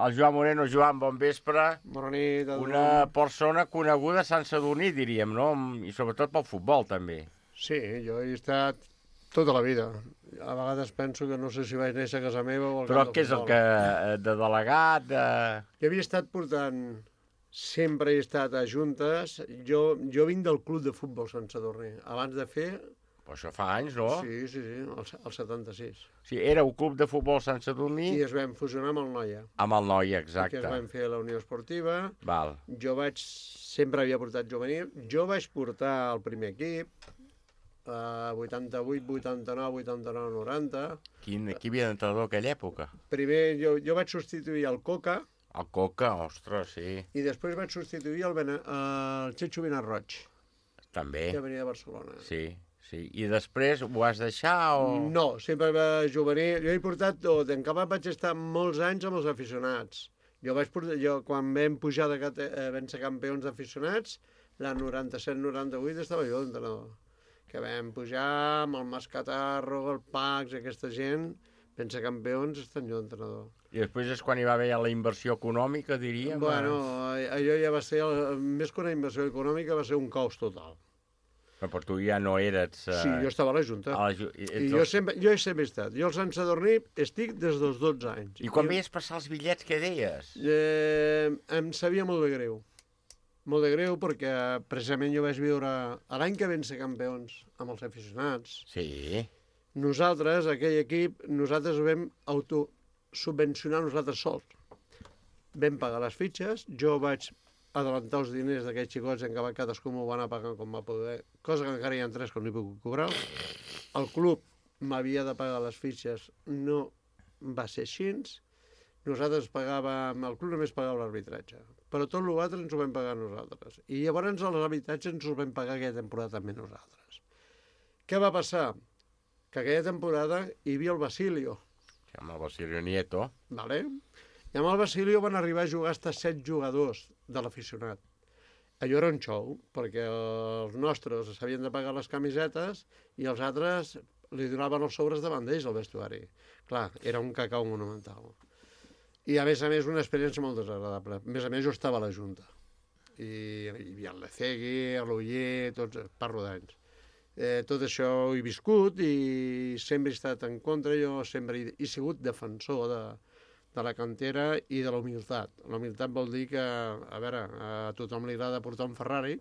el Joan Moreno. Joan, bon vespre. Bona nit. Una persona coneguda a Sant Sadurní, diríem, no? I sobretot pel futbol, també. Sí, jo he estat tota la vida. A vegades penso que no sé si vaig néixer a casa meva o al Però què és el que... de delegat? Jo havia estat portant... Sempre he estat a juntes. Jo vinc del club de futbol Sant Sadurní. Abans de fer... Però això fa anys, no? Sí, el 76. Sí, era un club de futbol Sant Sadurní... I es vam fusionar amb el Noia. Amb el Noia, exacte. Que es vam fer la Unió Esportiva. Val. Jo sempre havia portat juvenil. Jo vaig portar el primer equip, 88, 89, 89, 90. Qui havia d'entrenador aquella època? Primer jo vaig substituir el Coca. El Coca, ostres, sí. I després vaig substituir el Checho Benarroig. També. Que venia de Barcelona. Sí. I després ho vas deixar o...? No, sempre va juvenil. Jo he portat tot. En Capat vaig estar molts anys amb els aficionats. Jo quan vam pujar vam ser campions d'aficionats, la 97-98 estava jo d'entrenador. Que vam pujar amb el Mascatarro, el Pax, aquesta gent, vam ser campions, estan jo d'entrenador. I després és quan hi va haver la inversió econòmica, diríem? Bueno, allò ja va ser, més que una inversió econòmica, va ser un caos total. Però tu ja no eres... Sí, jo estava a la Junta. I jo he sempre estat. Jo al Sant Sadurní estic des dels 12 anys. I quan veies passar els bitllets, què deies? Em sabia molt de greu. Molt de greu perquè precisament jo vaig viure l'any que vam ser campions amb els aficionats. Sí. Nosaltres, aquell equip, nosaltres ho vam autosubvencionar nosaltres sols. Vam pagar les fitxes, jo vaig adelantar els diners d'aquests xicots en què cadascú m'ho va anar pagant com va poder, cosa que encara hi ha 3 que no hi puc cobrar. El club m'havia de pagar les fitxes, no va ser així. Nosaltres pagàvem, el club només pagava l'arbitratge, però tot l'altre ens ho vam pagar nosaltres. I llavors els arbitratges ens ho vam pagar aquella temporada també nosaltres. Què va passar? Que aquella temporada hi havia el Basilio. Amb el Basilio Nieto. Vale? I amb el Basilio van arribar a jugar fins a 7 jugadors de l'aficionat. Allò era un show, perquè els nostres s'havien de pagar les camisetes i els altres li donaven els sobres davant d'ells al vestuari. Clar, era un cacau monumental. I a més, una experiència molt desagradable. A més, jo estava a la Junta. I hi havia el Lecegui, l'Uller, tots, parlo d'anys. Tot això ho he viscut i sempre he estat en contra. Jo sempre he sigut defensor de la cantera i de la humilitat. La humilitat vol dir que, a veure, a tothom li agrada portar un Ferrari,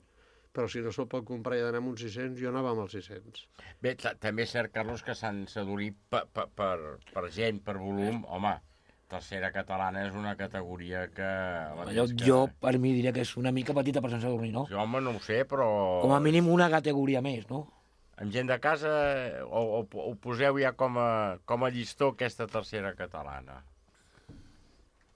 però si no se'l pot comprar i d'anar amb uns 600, jo anava amb els 600. Bé, també és cert, Carlos, que Sant Sadurní per gent, per volum, home, tercera catalana és una categoria que... Jo, per mi, diria que és una mica petita per Sant Sadurní, no? Sí, home, no ho sé, però... Com a mínim una categoria més, no? Amb gent de casa, o poseu ja com a llistó aquesta tercera catalana?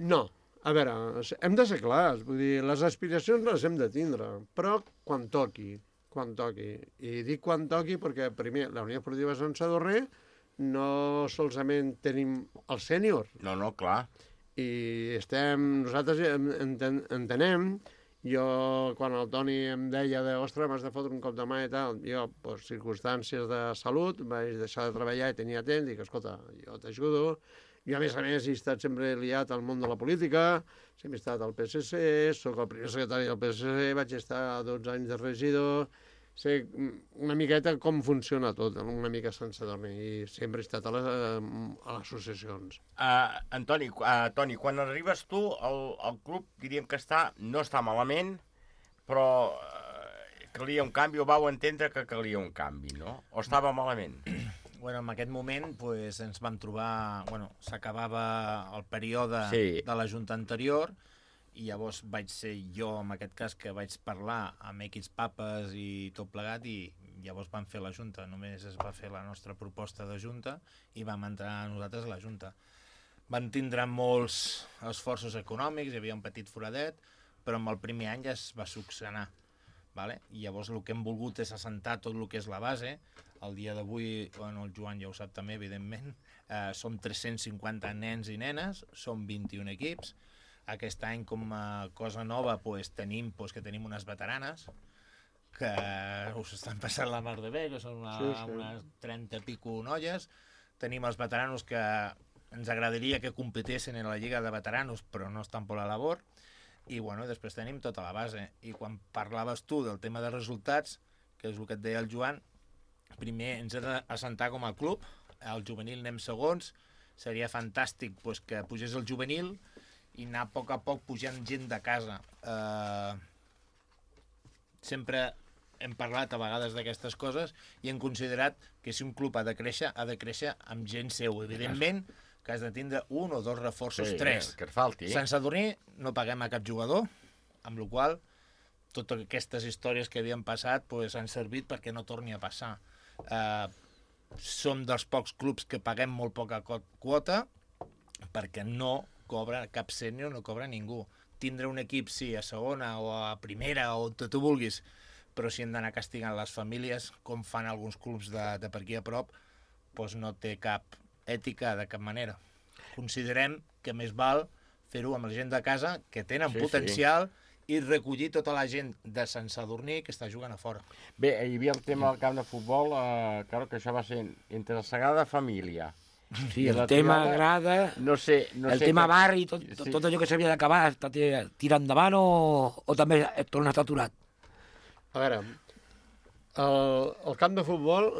No, a veure, hem de ser clars, vull dir, les aspiracions les hem de tindre, però quan toqui. I dic quan toqui perquè, primer, la Unió Esportiva de Sant Sadurní no solament tenim el sènior. No, clar. I nosaltres entenem, jo quan el Toni em deia ostres, m'has de fotre un cop de mà i tal, jo per circumstàncies de salut vaig deixar de treballar i tenia temps, dic, escolta, jo t'ajudo. Jo, a més, he estat sempre liat al món de la política, sempre he estat al PSC, soc el primer secretari del PSC, vaig estar 12 anys de regidor, sé una miqueta com funciona tot, una mica sense dormir, i sempre he estat a les associacions. Toni, quan arribes tu, el club diríem que no està malament, però calia un canvi, o vau entendre que calia un canvi, no? O estava malament? Bueno, en aquest moment ens vam trobar... S'acabava el període de la Junta anterior i llavors vaig ser jo, en aquest cas, que vaig parlar amb X papes i tot plegat i llavors vam fer la Junta. Només es va fer la nostra proposta de Junta i vam entrar nosaltres a la Junta. Van tindre molts esforços econòmics, hi havia un petit foradet, però en el primer any ja es va succionar. I llavors el que hem volgut és assentar tot el que és la base. El dia d'avui, el Joan ja ho sap també, evidentment, som 350 nens i nenes, som 21 equips. Aquest any, com a cosa nova, tenim unes veteranes que us estan passant la mar de bé, que són unes 30 i pico noies. Tenim els veteranos que ens agradaria que competessin en la Lliga de Veteranos, però no estan per la labor. I després tenim tota la base. I quan parlaves tu del tema de resultats, que és el que et deia el Joan, primer ens hem d'assentar com a club, al juvenil anem segons, seria fantàstic que pugés el juvenil i anar a poc pujant gent de casa. Sempre hem parlat a vegades d'aquestes coses i hem considerat que si un club ha de créixer amb gent seu. Evidentment que has de tindre un o dos reforços, tres. Que et falti. Sant Sadurní no paguem a cap jugador, amb la qual cosa totes aquestes històries que havien passat han servit perquè no torni a passar. Som dels pocs clubs que paguem molt poca quota perquè no cobra cap sènior, no cobra ningú. Tindre un equip, sí, a segona o a primera o on tu vulguis, però si hem d'anar castigant les famílies, com fan alguns clubs de per aquí a prop, no té cap ètica de cap manera. Considerem que més val fer-ho amb la gent de casa, que tenen potencial, i recollir tota la gent de Sant Sadurní que està jugant a fora. Bé, hi havia el tema del camp de futbol, que això va ser entre la Sagrada Família. Sí, el tema grada, el tema barri, tot allò que s'havia d'acabar, està tirant endavant o també torna a estar aturat? A veure, el camp de futbol,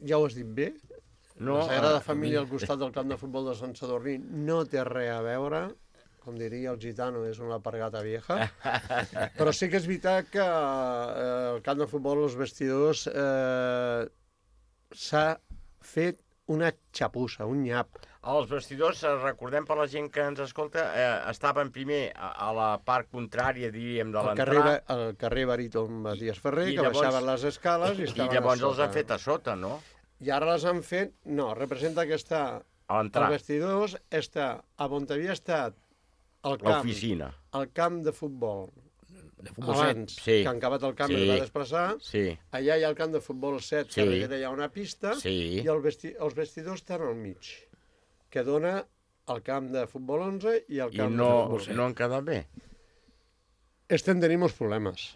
ja ho has dit bé, la Sagrada Família al costat del camp de futbol de Sant Sadurní no té res a veure, com diria el gitano, és una alpargata vieja, però sí que és veritat que el camp de futbol, els vestidors, s'ha fet una xapussa, un nyap. Els vestidors, recordem per la gent que ens escolta, estaven primer a la part contrària, diríem, de l'entrada. Al carrer Baríton Matías Ferrer, que baixaven les escales i estaven a sota. I llavors els han fet a sota, no? I ara les han fet, no, representa que està als vestidors, està a on havia estat l'oficina. El camp de futbol. Abans, que han acabat el camp i el va desplaçar. Allà hi ha el camp de futbol 7, que darrere hi ha una pista, i els vestidors estan al mig, que dona el camp de futbol 11 i el camp de futbol 7. I no han quedat bé? Estem tenint uns problemes.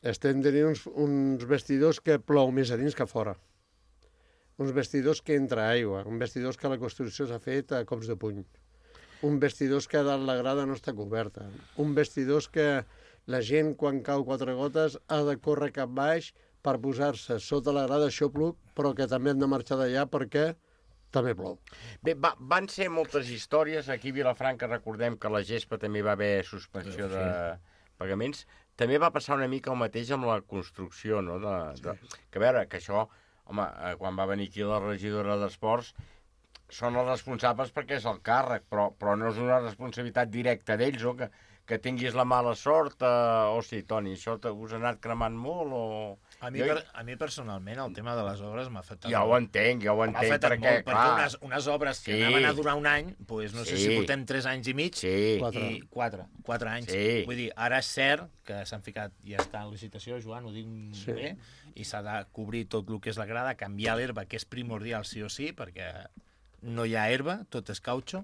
Estem tenint uns vestidors que plou més a dins que a fora. Uns vestidors que entra aigua, uns vestidors que la construcció s'ha fet a cops de puny. Un vestidors que la grada no està coberta. Un vestidors que la gent, quan cau 4 gotes, ha de córrer cap baix per posar-se sota la grada xopluc, però que també han de marxar d'allà perquè també plou. Bé, van ser moltes històries. Aquí a Vilafranca recordem que la Gespa també va haver suspensió de pagaments. També va passar una mica el mateix amb la construcció, no? Que a veure, que això, home, quan va venir aquí la regidora d'Esports, són els responsables perquè és el càrrec, però no és una responsabilitat directa d'ells, o que tinguis la mala sort, o sí, Toni, això us ha anat cremant molt, o... A mi personalment el tema de les obres m'ha afectat molt. Ja ho entenc, m'ha afectat molt, perquè unes obres que anaven a durar un any, no sé si portem 3 anys i mig, i 4 anys. Vull dir, ara és cert que s'han ficat, ja està en licitació, Joan, ho dic bé, i s'ha de cobrir tot el que és la grada, canviar l'herba, que és primordial sí o sí, perquè no hi ha herba, tot és cautxo,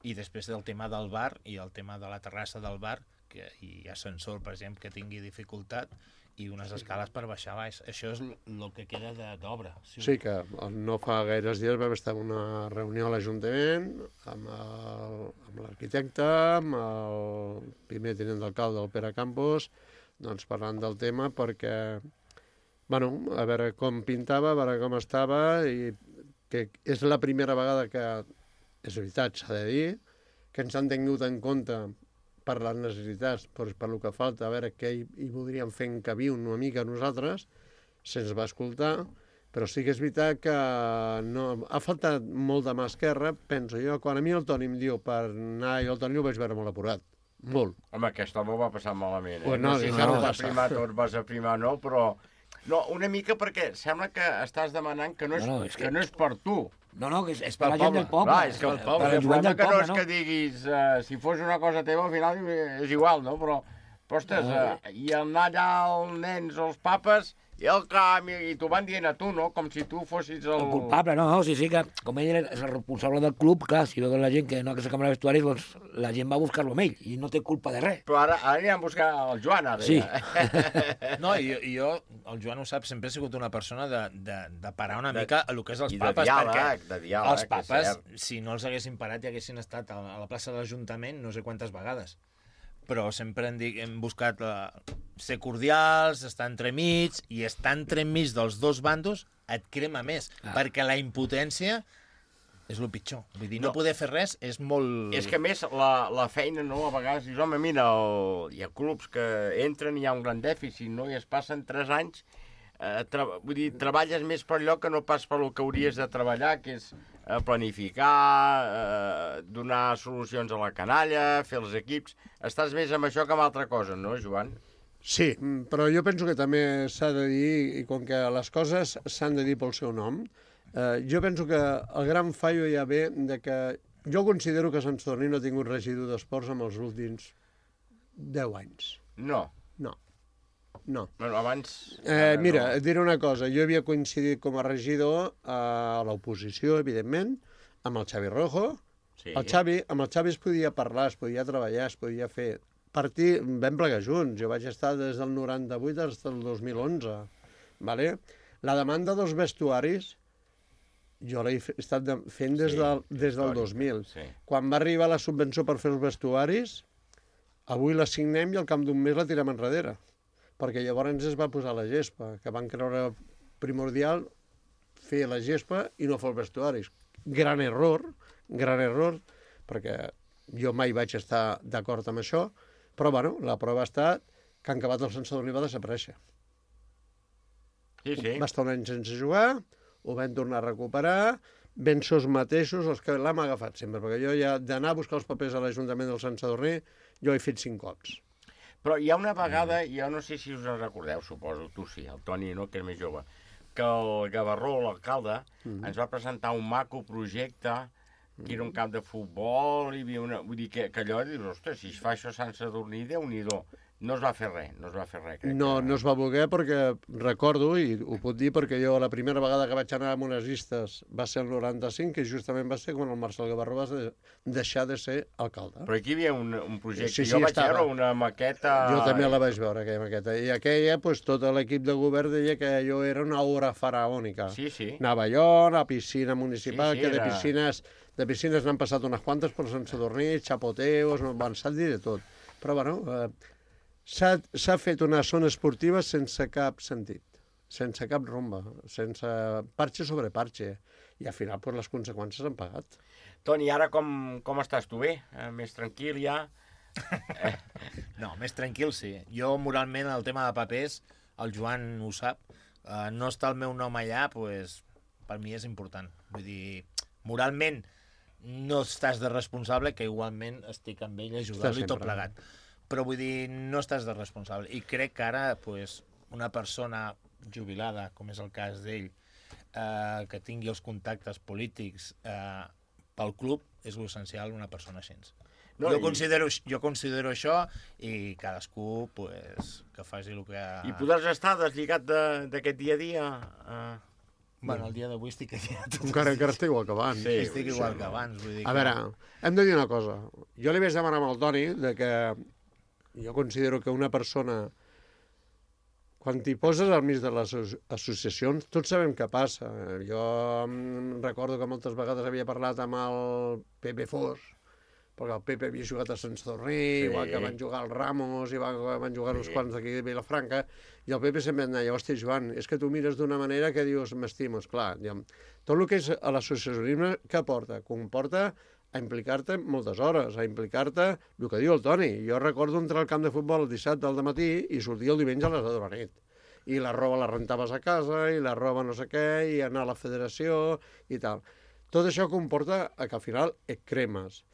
I després del tema del bar i el tema de la terrassa del bar, que hi ha ascensor, per exemple, que tingui dificultat, i unes escales per baixar baix. Això és el que queda d'obra. Sí, que no fa gaires dies vam estar en una reunió a l'Ajuntament amb l'arquitecte, amb el primer tinent d'alcalde, el Pere Campos, doncs parlant del tema perquè, bueno, a veure com pintava, a veure com estava, i que és la primera vegada que, és veritat, s'ha de dir, que ens han tingut en compte per les necessitats, per el que falta, a veure què hi voldríem fer encabir una mica nosaltres, se'ns va escoltar, però sí que és veritat que no, ha faltat molt de mà esquerra, penso jo. Quan a mi el Toni em diu per anar, jo el Toni ho vaig veure molt apurat, molt. Home, aquest home ho va passar malament, Pues no sé si vas a primar, no, però... No, una mica perquè sembla que estàs demanant que no és per tu. No, que és per la gent del poble. Clar, és que el poble, que no és que diguis, si fos una cosa teva, al final és igual, no? Però ostres, i anar allà els nens o els papes, i el camp, i t'ho van dient a tu, no? Com si tu fossis el culpable, no, sí, que com ell és el responsable del club, clar, si veuen la gent que no ha aquesta cambra de vestuaris, doncs la gent va a buscar-lo amb ell, i no té culpa de res. Però ara aniran a buscar el Joan, ara. Sí. No, i jo, el Joan ho sap, sempre he sigut una persona de parar una mica el que és els papes, de diàleg, els papes, si no els haguessin parat i haguessin estat a la plaça de l'Ajuntament no sé quantes vegades. Però sempre hem buscat ser cordials, estar entremig, i estar entremig dels dos bandos et crema més, perquè la impotència és el pitjor. Vull dir, no poder fer res és molt... És que a més la feina, no, a vegades dius, home, mira, hi ha clubs que entren i hi ha un gran dèficit, no? I es passen 3 anys, vull dir, treballes més per allò que no pas per el que hauries de treballar, que és planificar, donar solucions a la canalla, fer els equips. Estàs més amb això que amb altra cosa, no, Joan? Sí, però jo penso que també s'ha de dir, i com que les coses s'han de dir pel seu nom, jo penso que el gran fallo ja ve de que jo considero que Sant Sadurní no ha tingut regidor d'esports en els últims 10 anys. No. Bueno, abans... Mira, et diré una cosa. Jo havia coincidit com a regidor a l'oposició, evidentment, amb el Xavi Rojo. Sí. Amb el Xavi es podia parlar, es podia treballar, es podia fer... Vam plegar junts. Jo vaig estar des del 98 fins al 2011. Vale? La demanda dels vestuaris jo l'he estat fent des del 2000. Sí. Quan va arribar la subvenció per fer els vestuaris, avui la signem i al cap d'un mes la tirem enrere. Perquè llavors es va posar la gespa, que van creure primordial fer la gespa i no fer els vestuaris. Gran error, perquè jo mai vaig estar d'acord amb això, però bueno, la prova ha estat que en acabat el Sant Sadurní va desaparèixer. Sí. Va estar un any sense jugar, ho vam tornar a recuperar, ben sos mateixos els que l'hem agafat sempre, perquè jo ja d'anar a buscar els papers a l'Ajuntament del Sant Sadurní, jo he fet 5 cops. Però hi ha una vegada, jo no sé si us en recordeu, suposo, tu sí, el Toni, no, que és més jove, que el Gavarró, l'alcalde, ens va presentar un maco projecte, que era un camp de futbol, i hi havia una... Vull dir que allò, dius, ostres, si es fa això a Sant Sadurní, Déu-n'hi-do. No es va fer res, No es va voler perquè, recordo, i ho puc dir perquè jo la primera vegada que vaig anar amb unes llistes va ser el 95, que justament va ser quan el Marcel Gavarró va deixar de ser alcalde. Però aquí hi havia un projecte, sí, jo vaig veure una maqueta... Jo també la vaig veure, aquella maqueta, i aquella, doncs, tot l'equip de govern deia que allò era una obra faraònica. Sí. Anava allò, la piscina municipal, que de piscines n'han passat unes quantes per Sant Sadurní, xapoteos, van dir de tot. Però, bueno... S'ha fet una zona esportiva sense cap sentit, sense cap rumba, sense parxe sobre parxe, i al final pues, les conseqüències han pagat. Toni, ara com estàs? Tu bé? Més tranquil ja? No, més tranquil sí. Jo moralment el tema de papers, el Joan ho sap, no està el meu nom allà, pues, per mi és important. Vull dir, moralment no estàs de responsable, que igualment estic amb ell ajudant-lo i tot plegat. Però vull dir, no estàs de responsable. I crec que ara, pues, una persona jubilada, com és el cas d'ell, que tingui els contactes polítics pel club, és l'essencial una persona així. No, jo considero això i cadascú pues, que faci el que... I podràs estar deslligat d'aquest dia a dia? Bueno, el dia d'avui estic allà. Encara estic igual que abans. Sí, estic igual que abans. Vull dir A veure, hem de dir una cosa. Jo li vaig demanar amb el Toni que jo considero que una persona, quan t'hi poses al mig de les associacions, tots sabem què passa. Jo recordo que moltes vegades havia parlat amb el Pepe Fos, perquè el Pepe havia jugat a Sant Sadurní, igual que van jugar el Ramos, igual que van jugar uns quants d'aquí de Vilafranca, i el Pepe sempre em deia, hòstia, Joan, és que tu mires d'una manera que dius, m'estimo, esclar. Tot el que és l'associacionisme, què porta? Comporta a implicar-te moltes hores, a implicar-te, el que diu el Toni. Jo recordo entrar al camp de futbol el dissabte al matí i sortir el diumenge a les 10 de la nit. I la roba la rentaves a casa, i la roba no sé què, i anar a la federació, i tal. Tot això comporta que al final et cremes.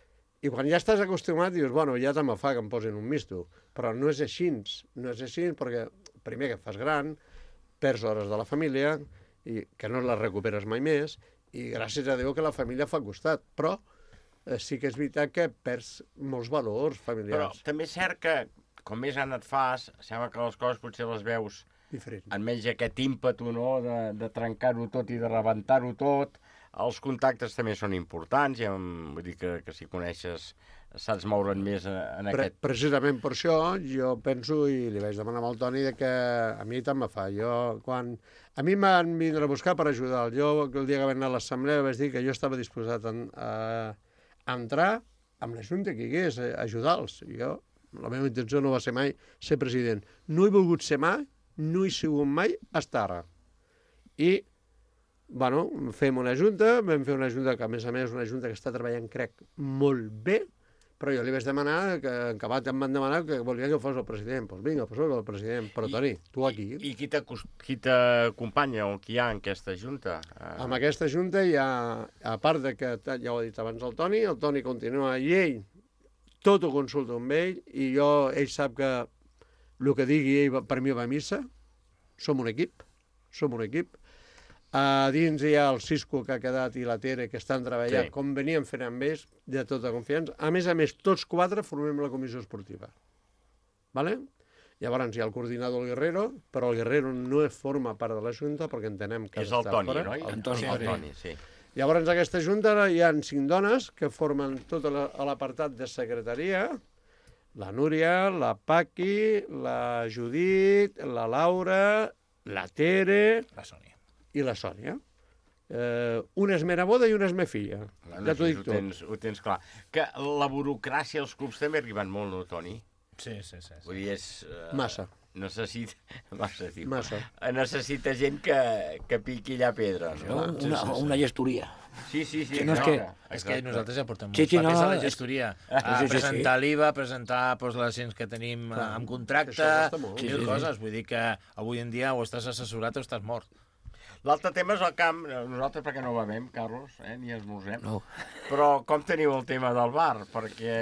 I quan ja estàs acostumat dius, bueno, ja també fa que em posin un misto. Però no és així, perquè primer que et fas gran, perds hores de la família, i que no les recuperes mai més, i gràcies a Déu que la família fa costat. Però sí que és veritat que perds molts valors familiars. Però també és cert que, com més any et fas, sembla que les coses potser les veus diferent. En menys aquest ímpetu, no?, de trencar-ho tot i de rebentar-ho tot. Els contactes també són importants, ja vull dir que si coneixes saps moure'n més en aquest... Precisament per això jo penso, i li vaig demanar al Toni, que a mi tant me fa. A mi em van vindre a buscar per ajudar. Jo, el dia que vaig anar a l'assemblea, vaig dir que jo estava disposat a entrar amb la junta que hi hagués, a ajudar-los. La meva intenció no va ser mai ser president. No he volgut ser mai, no he sigut mai fins ara. I bueno, fem una junta, vam fer una junta que a més una junta que està treballant, crec, molt bé, però jo li vaig demanar, que en acabat em van demanar que volia que fos el president. Doncs vinga, poso el president. Però Toni, tu aquí... I qui t'acompanya o qui hi ha en aquesta junta? En aquesta junta hi ha, a part de que, ja ho ha dit abans el Toni continua i ell tot ho consulta amb ell, i ell sap que el que digui ell per mi va a missa. Som un equip. A dins hi ha el Cisco que ha quedat i la Tere que estan treballant, com veníem fent amb ells, de tota confiança. A més, tots 4 formem la comissió esportiva. Vale? Llavors hi ha el coordinador Guerrero, però el Guerrero no forma part de la Junta perquè entenem que... És el Toni, no? El Toni, sí. Llavors, en aquesta Junta hi ha 5 dones que formen tot l'apartat de secretaria, la Núria, la Paqui, la Judit, la Laura, la Tere... I la Sònia. Una és meva boda i una és meva filla. Ja t'ho dic tot. Ho tens clar. Que la burocràcia als clubs també ha arribat molt, no, Toni? Sí. Vull dir, és... Massa. Massa. Necessita gent que piqui allà pedra, no? Una gestoria. Sí. És que nosaltres ja portem molts papers a la gestoria. A presentar l'IVA, presentar les accions que tenim en contracte, mil coses. Vull dir que avui en dia o estàs assessorat o estàs mort. L'altre tema és el camp. Nosaltres perquè no bevem, Carlos, ni esmorzem. No. Però com teniu el tema del bar? Perquè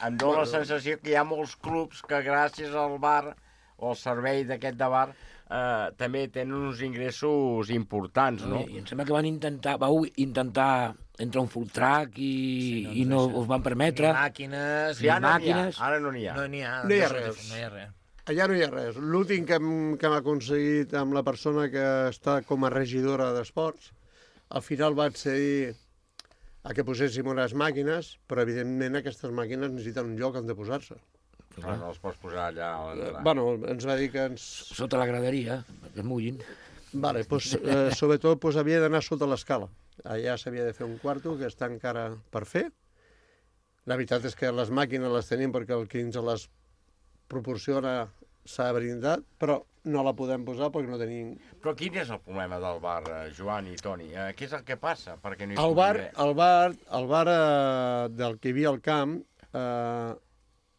em dóna la sensació que hi ha molts clubs que gràcies al bar o al servei d'aquest de bar també tenen uns ingressos importants, no? I em sembla que vau intentar entrar un full track i no us van permetre. Ni màquines. Ara no n'hi ha. No n'hi ha res. Allà no hi ha res. L'últim que hem aconseguit amb la persona que està com a regidora d'esports, al final va accedir a que poséssim unes màquines, però evidentment aquestes màquines necessiten un lloc on de posar-se. No les pots posar allà a l'entrada. Bueno, ens va dir que sota la graderia, que es mullin. Vale, sobretot havia d'anar sota l'escala. Allà s'havia de fer un quarto que està encara per fer. La veritat és que les màquines les tenim perquè el que ens les proporciona s'ha brindat, però no la podem posar perquè no tenim... Però quin és el problema del bar, Joan i Toni? Què és el que passa? Perquè no el bar del que hi havia al camp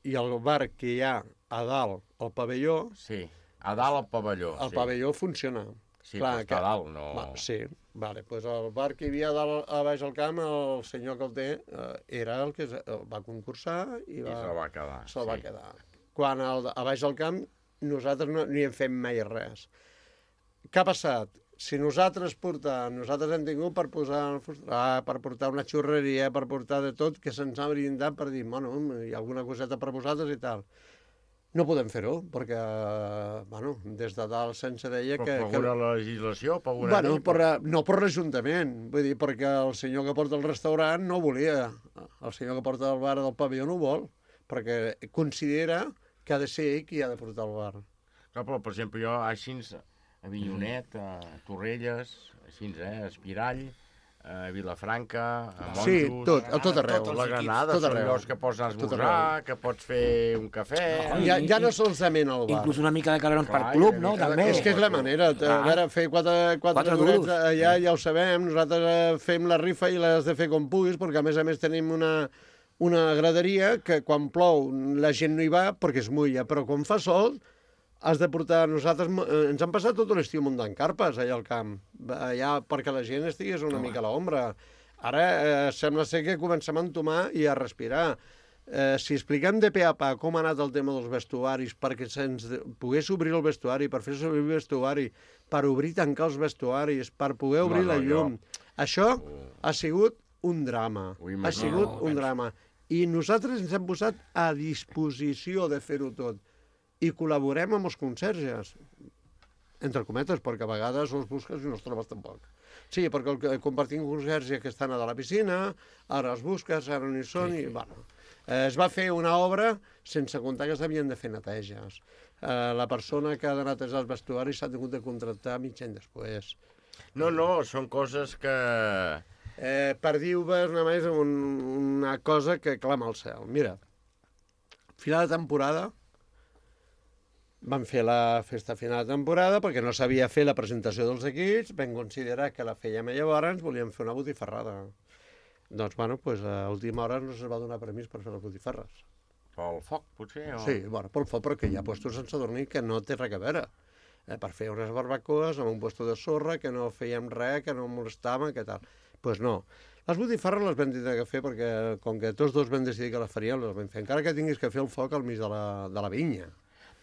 i el bar que hi ha a dalt, al pavelló... Sí, a dalt al pavelló. El pavelló funciona. Sí, però està a dalt, no... Sí, vale, doncs el bar que hi havia a baix al camp, el senyor que el té, era el que va concursar i se'l va quedar. Se'l va quedar. Quan a baix al camp nosaltres no hi hem fet mai res. Què ha passat? Si nosaltres hem tingut per portar una xurreria, per portar de tot, que se'ns ha brindat per dir, bueno, hi ha alguna coseta per vosaltres i tal. No podem fer-ho, perquè, des de dalt se'ns deia que... Per alguna legislació? Bueno, no per l'Ajuntament, vull dir, perquè el senyor que porta el restaurant no volia, el senyor que porta el bar del pavelló no vol, perquè considera que ha de ser ell qui ha de portar el bar. Clar, però, per exemple, jo així, a Avinyonet, a Torrelles, així, a Espirall, a Vilafranca, a Monjos... Sí, tot arreu. La Granada, són llocs que pots anar a esmorzar, que pots fer un cafè... Ja no solament al bar. Inclús una mica de calerons per club, no? També. És que és la manera. A veure, fer quatre durets allà ja ho sabem. Nosaltres fem la rifa i l'has de fer com puguis, perquè a més tenim una graderia que quan plou la gent no hi va perquè es mulla, però quan fa sol has de portar... Nosaltres ens han passat tot l'estiu muntant carpes allà al camp, allà perquè la gent estigués una mica a l'ombra. Ara sembla ser que comencem a entomar i a respirar. Si expliquem de pe a pa com ha anat el tema dels vestuaris, perquè se'ns pogués obrir el vestuari, per fer servir el vestuari, per obrir i tancar els vestuaris, per poder obrir la llum... Això ha sigut un drama. Ha sigut un drama. I nosaltres ens hem posat a disposició de fer-ho tot. I col·laborem amb els conserges, entre cometes, perquè a vegades els busques i no els trobes tampoc. Sí, perquè compartim conserge que estan a la piscina, ara els busques, ara no hi són, i bueno. Es va fer una obra sense comptar que s'havien de fer neteges. La persona que ha de netejar els vestuaris s'ha hagut de contractar mig any després. No, són coses que... Per dir-vos només una cosa que clama al cel. Mira, final de temporada, vam fer la festa final de temporada perquè no sabia fer la presentació dels equips, vam considerar que la fèiem llavors, volíem fer una botifarrada. Doncs, bueno, a última hora no se'ns va donar permís per fer les botifarres. Pel foc, potser? O... Sí, pel foc, perquè hi ha puestos sense dormir que no té res a veure. Per fer unes barbacoes amb un puesto de sorra, que no fèiem res, que no molestàvem, que tal. Doncs no. Les botifarres les vam tenir que fer perquè, com que tots dos vam decidir que les faríem, les vam fer. Encara que tinguis que fer el foc al mig de la vinya.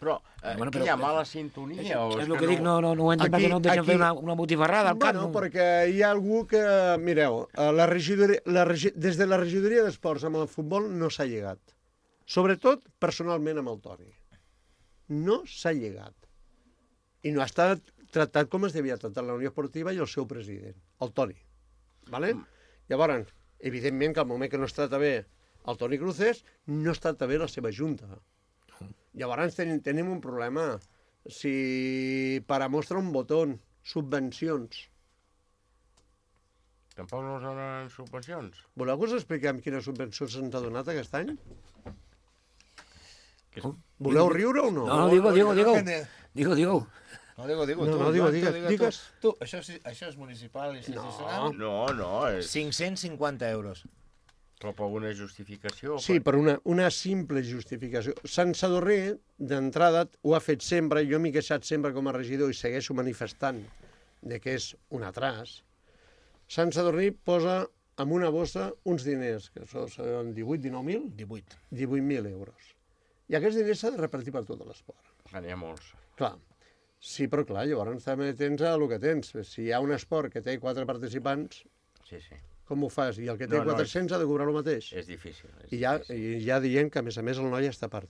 Però hi ha mala sintonia? És el que dic, no ho entenc perquè no et deixen fer una botifarrada al camp. Bueno, perquè hi ha algú que... Mireu, des de la regidoria d'esports amb el futbol no s'ha llegat. Sobretot, personalment, amb el Toni. No s'ha llegat. I no ha estat tractat com es devia tractar la Unió Esportiva i el seu president, el Toni. Vale? Llavors, evidentment que al moment que no es tracta bé el Toni Cruces, no es tracta bé la seva junta. Llavors tenim un problema. Si para mostra un botó, subvencions. Tampoc no us donen subvencions? Voleu que us expliquem quines subvencions se'ns ha donat aquest any? Voleu riure o no? No, digue-ho. No, digues. Tu, això és municipal i institucional? No, és... 550 euros. Però per una justificació? Sí, per una simple justificació. Sant Sadurní, d'entrada, ho ha fet sempre, jo m'he queixat sempre com a regidor i segueixo manifestant de que és un atràs. Sant Sadurní posa en una bossa uns diners, que són 18-19.000? 18.000 euros. I aquests diners s'ha de repartir per tot l'esport. N'hi ha molts. Clar. Sí, però clar, llavors també tens el que tens. Si hi ha un esport que té 4 participants... Sí. Com ho fas? I el que té 400 ha de cobrar el mateix? És difícil. I ja dient que, a més, el noi està a part,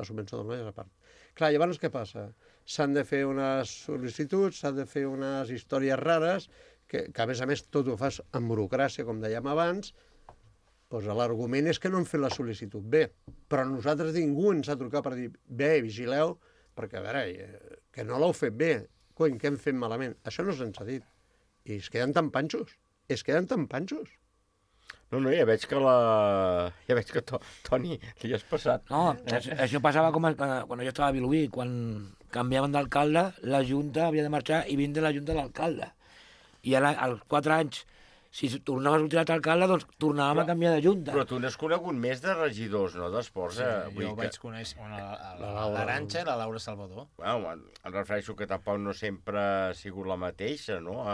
La subvenció del noi és a part. Clar, llavors què passa? S'han de fer unes sol·licituds, s'han de fer unes històries rares, que a més, tot ho fas amb burocràcia, com dèiem abans, doncs l'argument és que no hem fet la sol·licitud bé. Però nosaltres ningú ens ha trucat per dir, bé, vigileu, perquè, a veure, que no l'heu fet bé, coi, que hem fet malament. Això no se'ns ha dit. I es queden tan panxos. No, ja veig que Toni, li has passat. No, això passava com quan jo estava a Vilobí, quan canviaven d'alcalde, la Junta havia de marxar i vindre la Junta de l'alcalde. I ara, als 4 anys, si tornava a sortir l'altre alcalde, doncs tornàvem a canviar de Junta. Però tu n'has conegut més de regidors, no Sí, d'esports? jo vaig conèixer l'Arantxa i la Laura Salvador. Bueno, em refereixo que tampoc no sempre ha sigut la mateixa, no?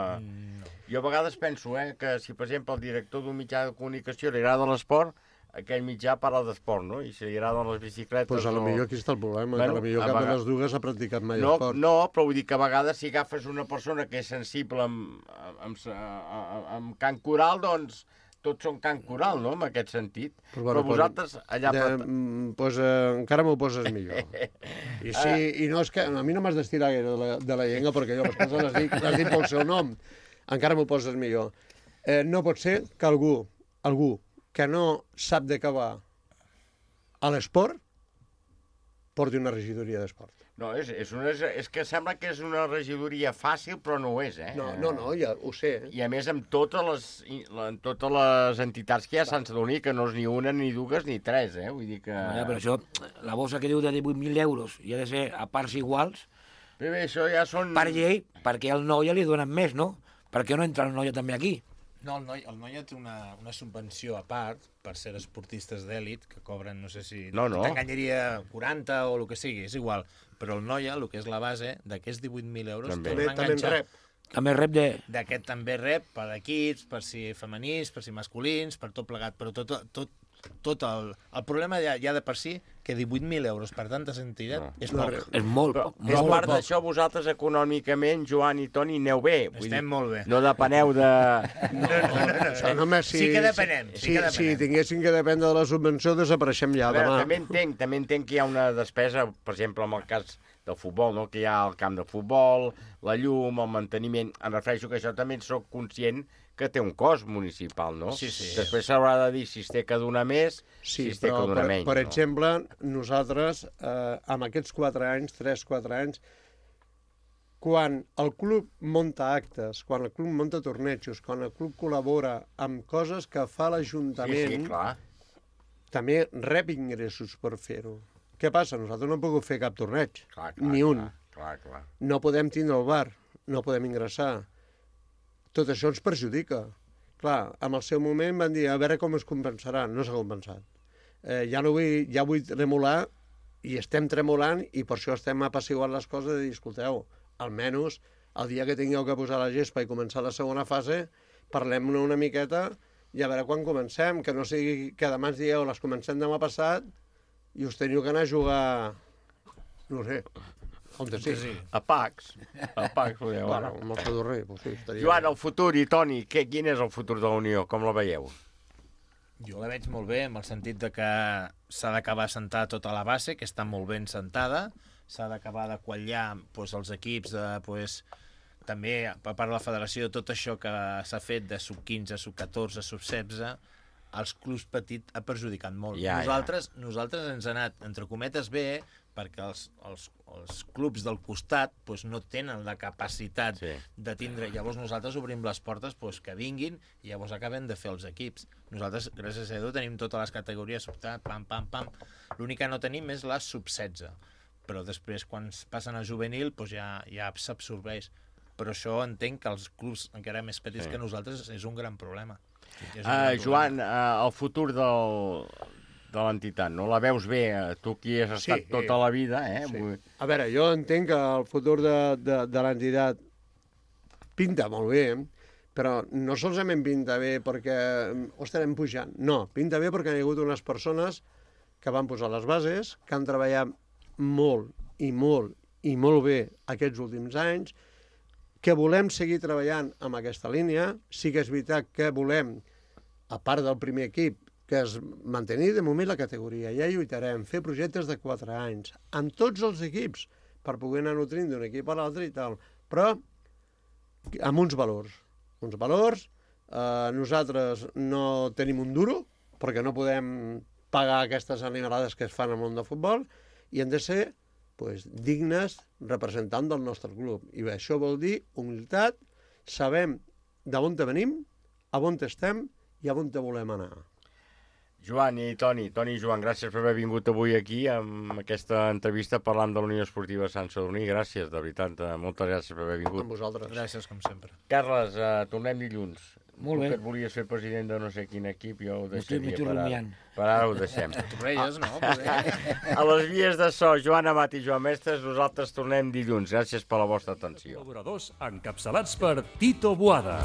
Jo a vegades penso que si, per exemple, el director d'un mitjà de comunicació li agrada l'esport, aquell mitjà parla d'esport, no? I si li agraden les bicicletes... Doncs potser aquí està el problema, que potser cap de les dues ha practicat mai esport. No, però vull dir que a vegades si agafes una persona que és sensible amb cant coral, doncs tots són cant coral, no?, en aquest sentit. Però vosaltres allà... Encara m'ho poses millor. I no és que... A mi no m'has d'estirar gaire de la llengua, perquè jo les coses les dic pel seu nom. Encara m'ho poses millor. No pot ser que algú que no sap de què va a l'esport porti una regidoria d'esport. No, és que sembla que és una regidoria fàcil, però no ho és, eh? No, ja ho sé. I a més amb totes les entitats que hi ha a Sant Sadurní, que no és ni una, ni dues, ni tres, eh? Vull dir que... Però això, la bossa que diu de 18.000 euros i ha de ser a parts iguals... Bé, això ja són... Per llei, perquè al Noia li donen més, no? Per què no entra el Noia també aquí? No, el Noia té una subvenció a part per ser esportistes d'èlit que cobren, no sé si... No. T'enganyaria 40 o el que sigui, és igual. Però el Noia, el que és la base, d'aquests 18.000 euros... També rep de... D'aquest també rep per equips, per si femenins, per si masculins, per tot plegat, però tot el problema ja de per si que 18.000 euros per tantes entitats és poc. És molt poc. És part d'això, vosaltres econòmicament, Joan i Toni, aneu bé. Estem molt bé. No depeneu de... Sí que depenem. Si tinguéssim que dependre de la subvenció, desapareixem ja demà. També entenc que hi ha una despesa, per exemple, en el cas del futbol, no? Que hi ha el camp de futbol, la llum, el manteniment... Em refereixo que això també soc conscient que té un cost municipal, no? Sí. Després s'haurà de dir si es té que donar més, si es té que donar menys. Per exemple, nosaltres, amb aquests 4 anys, quan el club munta actes, quan el club munta tornejos, quan el club col·labora amb coses que fa l'Ajuntament, també rep ingressos per fer-ho. Què passa? Nosaltres no hem pogut fer cap torneig, ni un. No podem tindre el bar, no podem ingressar. Tot això ens perjudica. Clar, en el seu moment van dir a veure com es compensarà. No s'ha compensat. Ja vull tremolar, i estem tremolant, i per això estem apaciguant les coses de dir, escolteu, almenys el dia que tingueu que posar la gespa i començar la segona fase, parlem-ne una miqueta i a veure quan comencem, que no sigui que demà ens dieu les comencem demà passat i us teniu que anar a jugar, no sé, on sí. A Pacs. Bueno, amb el Sadurní. Joan, el futur, i Toni, quin és el futur de la Unió? Com la veieu? Jo la veig molt bé, en el sentit de que s'ha d'acabar de sentar tota la base, que està molt ben sentada, s'ha d'acabar de quallar els equips, també per part de la federació, tot això que s'ha fet de sub-15, sub-14, sub-16, els clubs petits ha perjudicat molt. Nosaltres ens ha anat, entre cometes, bé, perquè els clubs del costat no tenen la capacitat de tindre... Llavors nosaltres obrim les portes que vinguin i llavors acabem de fer els equips. Nosaltres, gràcies a Déu, tenim totes les categories, pam. L'únic que no tenim és la sub-16. Però després, quan passen a juvenil, ja s'absorbeix. Però això entenc que els clubs encara més petits que nosaltres és un gran problema. Joan, el futur de l'entitat, no? La veus bé, tu qui has estat tota la vida, eh? Sí. A veure, jo entenc que el futur de l'entitat pinta molt bé, però no solament pinta bé perquè ho estarem pujant, no, pinta bé perquè hi ha hagut unes persones que van posar les bases, que han treballat molt bé aquests últims anys, que volem seguir treballant amb aquesta línia. Sí que és veritat que volem, a part del primer equip, que es mantenir de moment la categoria. Ja lluitarem, fer projectes de 4 anys, amb tots els equips, per poder anar nutrint d'un equip a l'altre i tal, però amb uns valors. Nosaltres no tenim un duro, perquè no podem pagar aquestes animalades que es fan al món del futbol, i hem de ser dignes representants del nostre club. I això vol dir humilitat, sabem d'on venim, a on estem i a on volem anar. Joan i Toni i Joan, gràcies per haver vingut avui aquí amb aquesta entrevista parlant de la Unió Esportiva Sant Sadurní. Gràcies, de veritat, moltes gràcies per haver vingut. Amb vosaltres. Gràcies, com sempre. Carles, tornem dilluns. Molt bé. Tu que et volies fer president de no sé quin equip, jo ho deixaria per ara ho deixem. Tu reies, no? A les vies de so, Joan Amat i Joan Mestres, nosaltres tornem dilluns. Gràcies per la vostra atenció. Col·laboradors encapçalats per Tito Boada.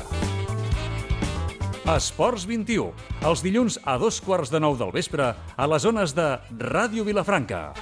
Esports 21, els dilluns a 2:15 del vespre a les zones de Ràdio Vilafranca.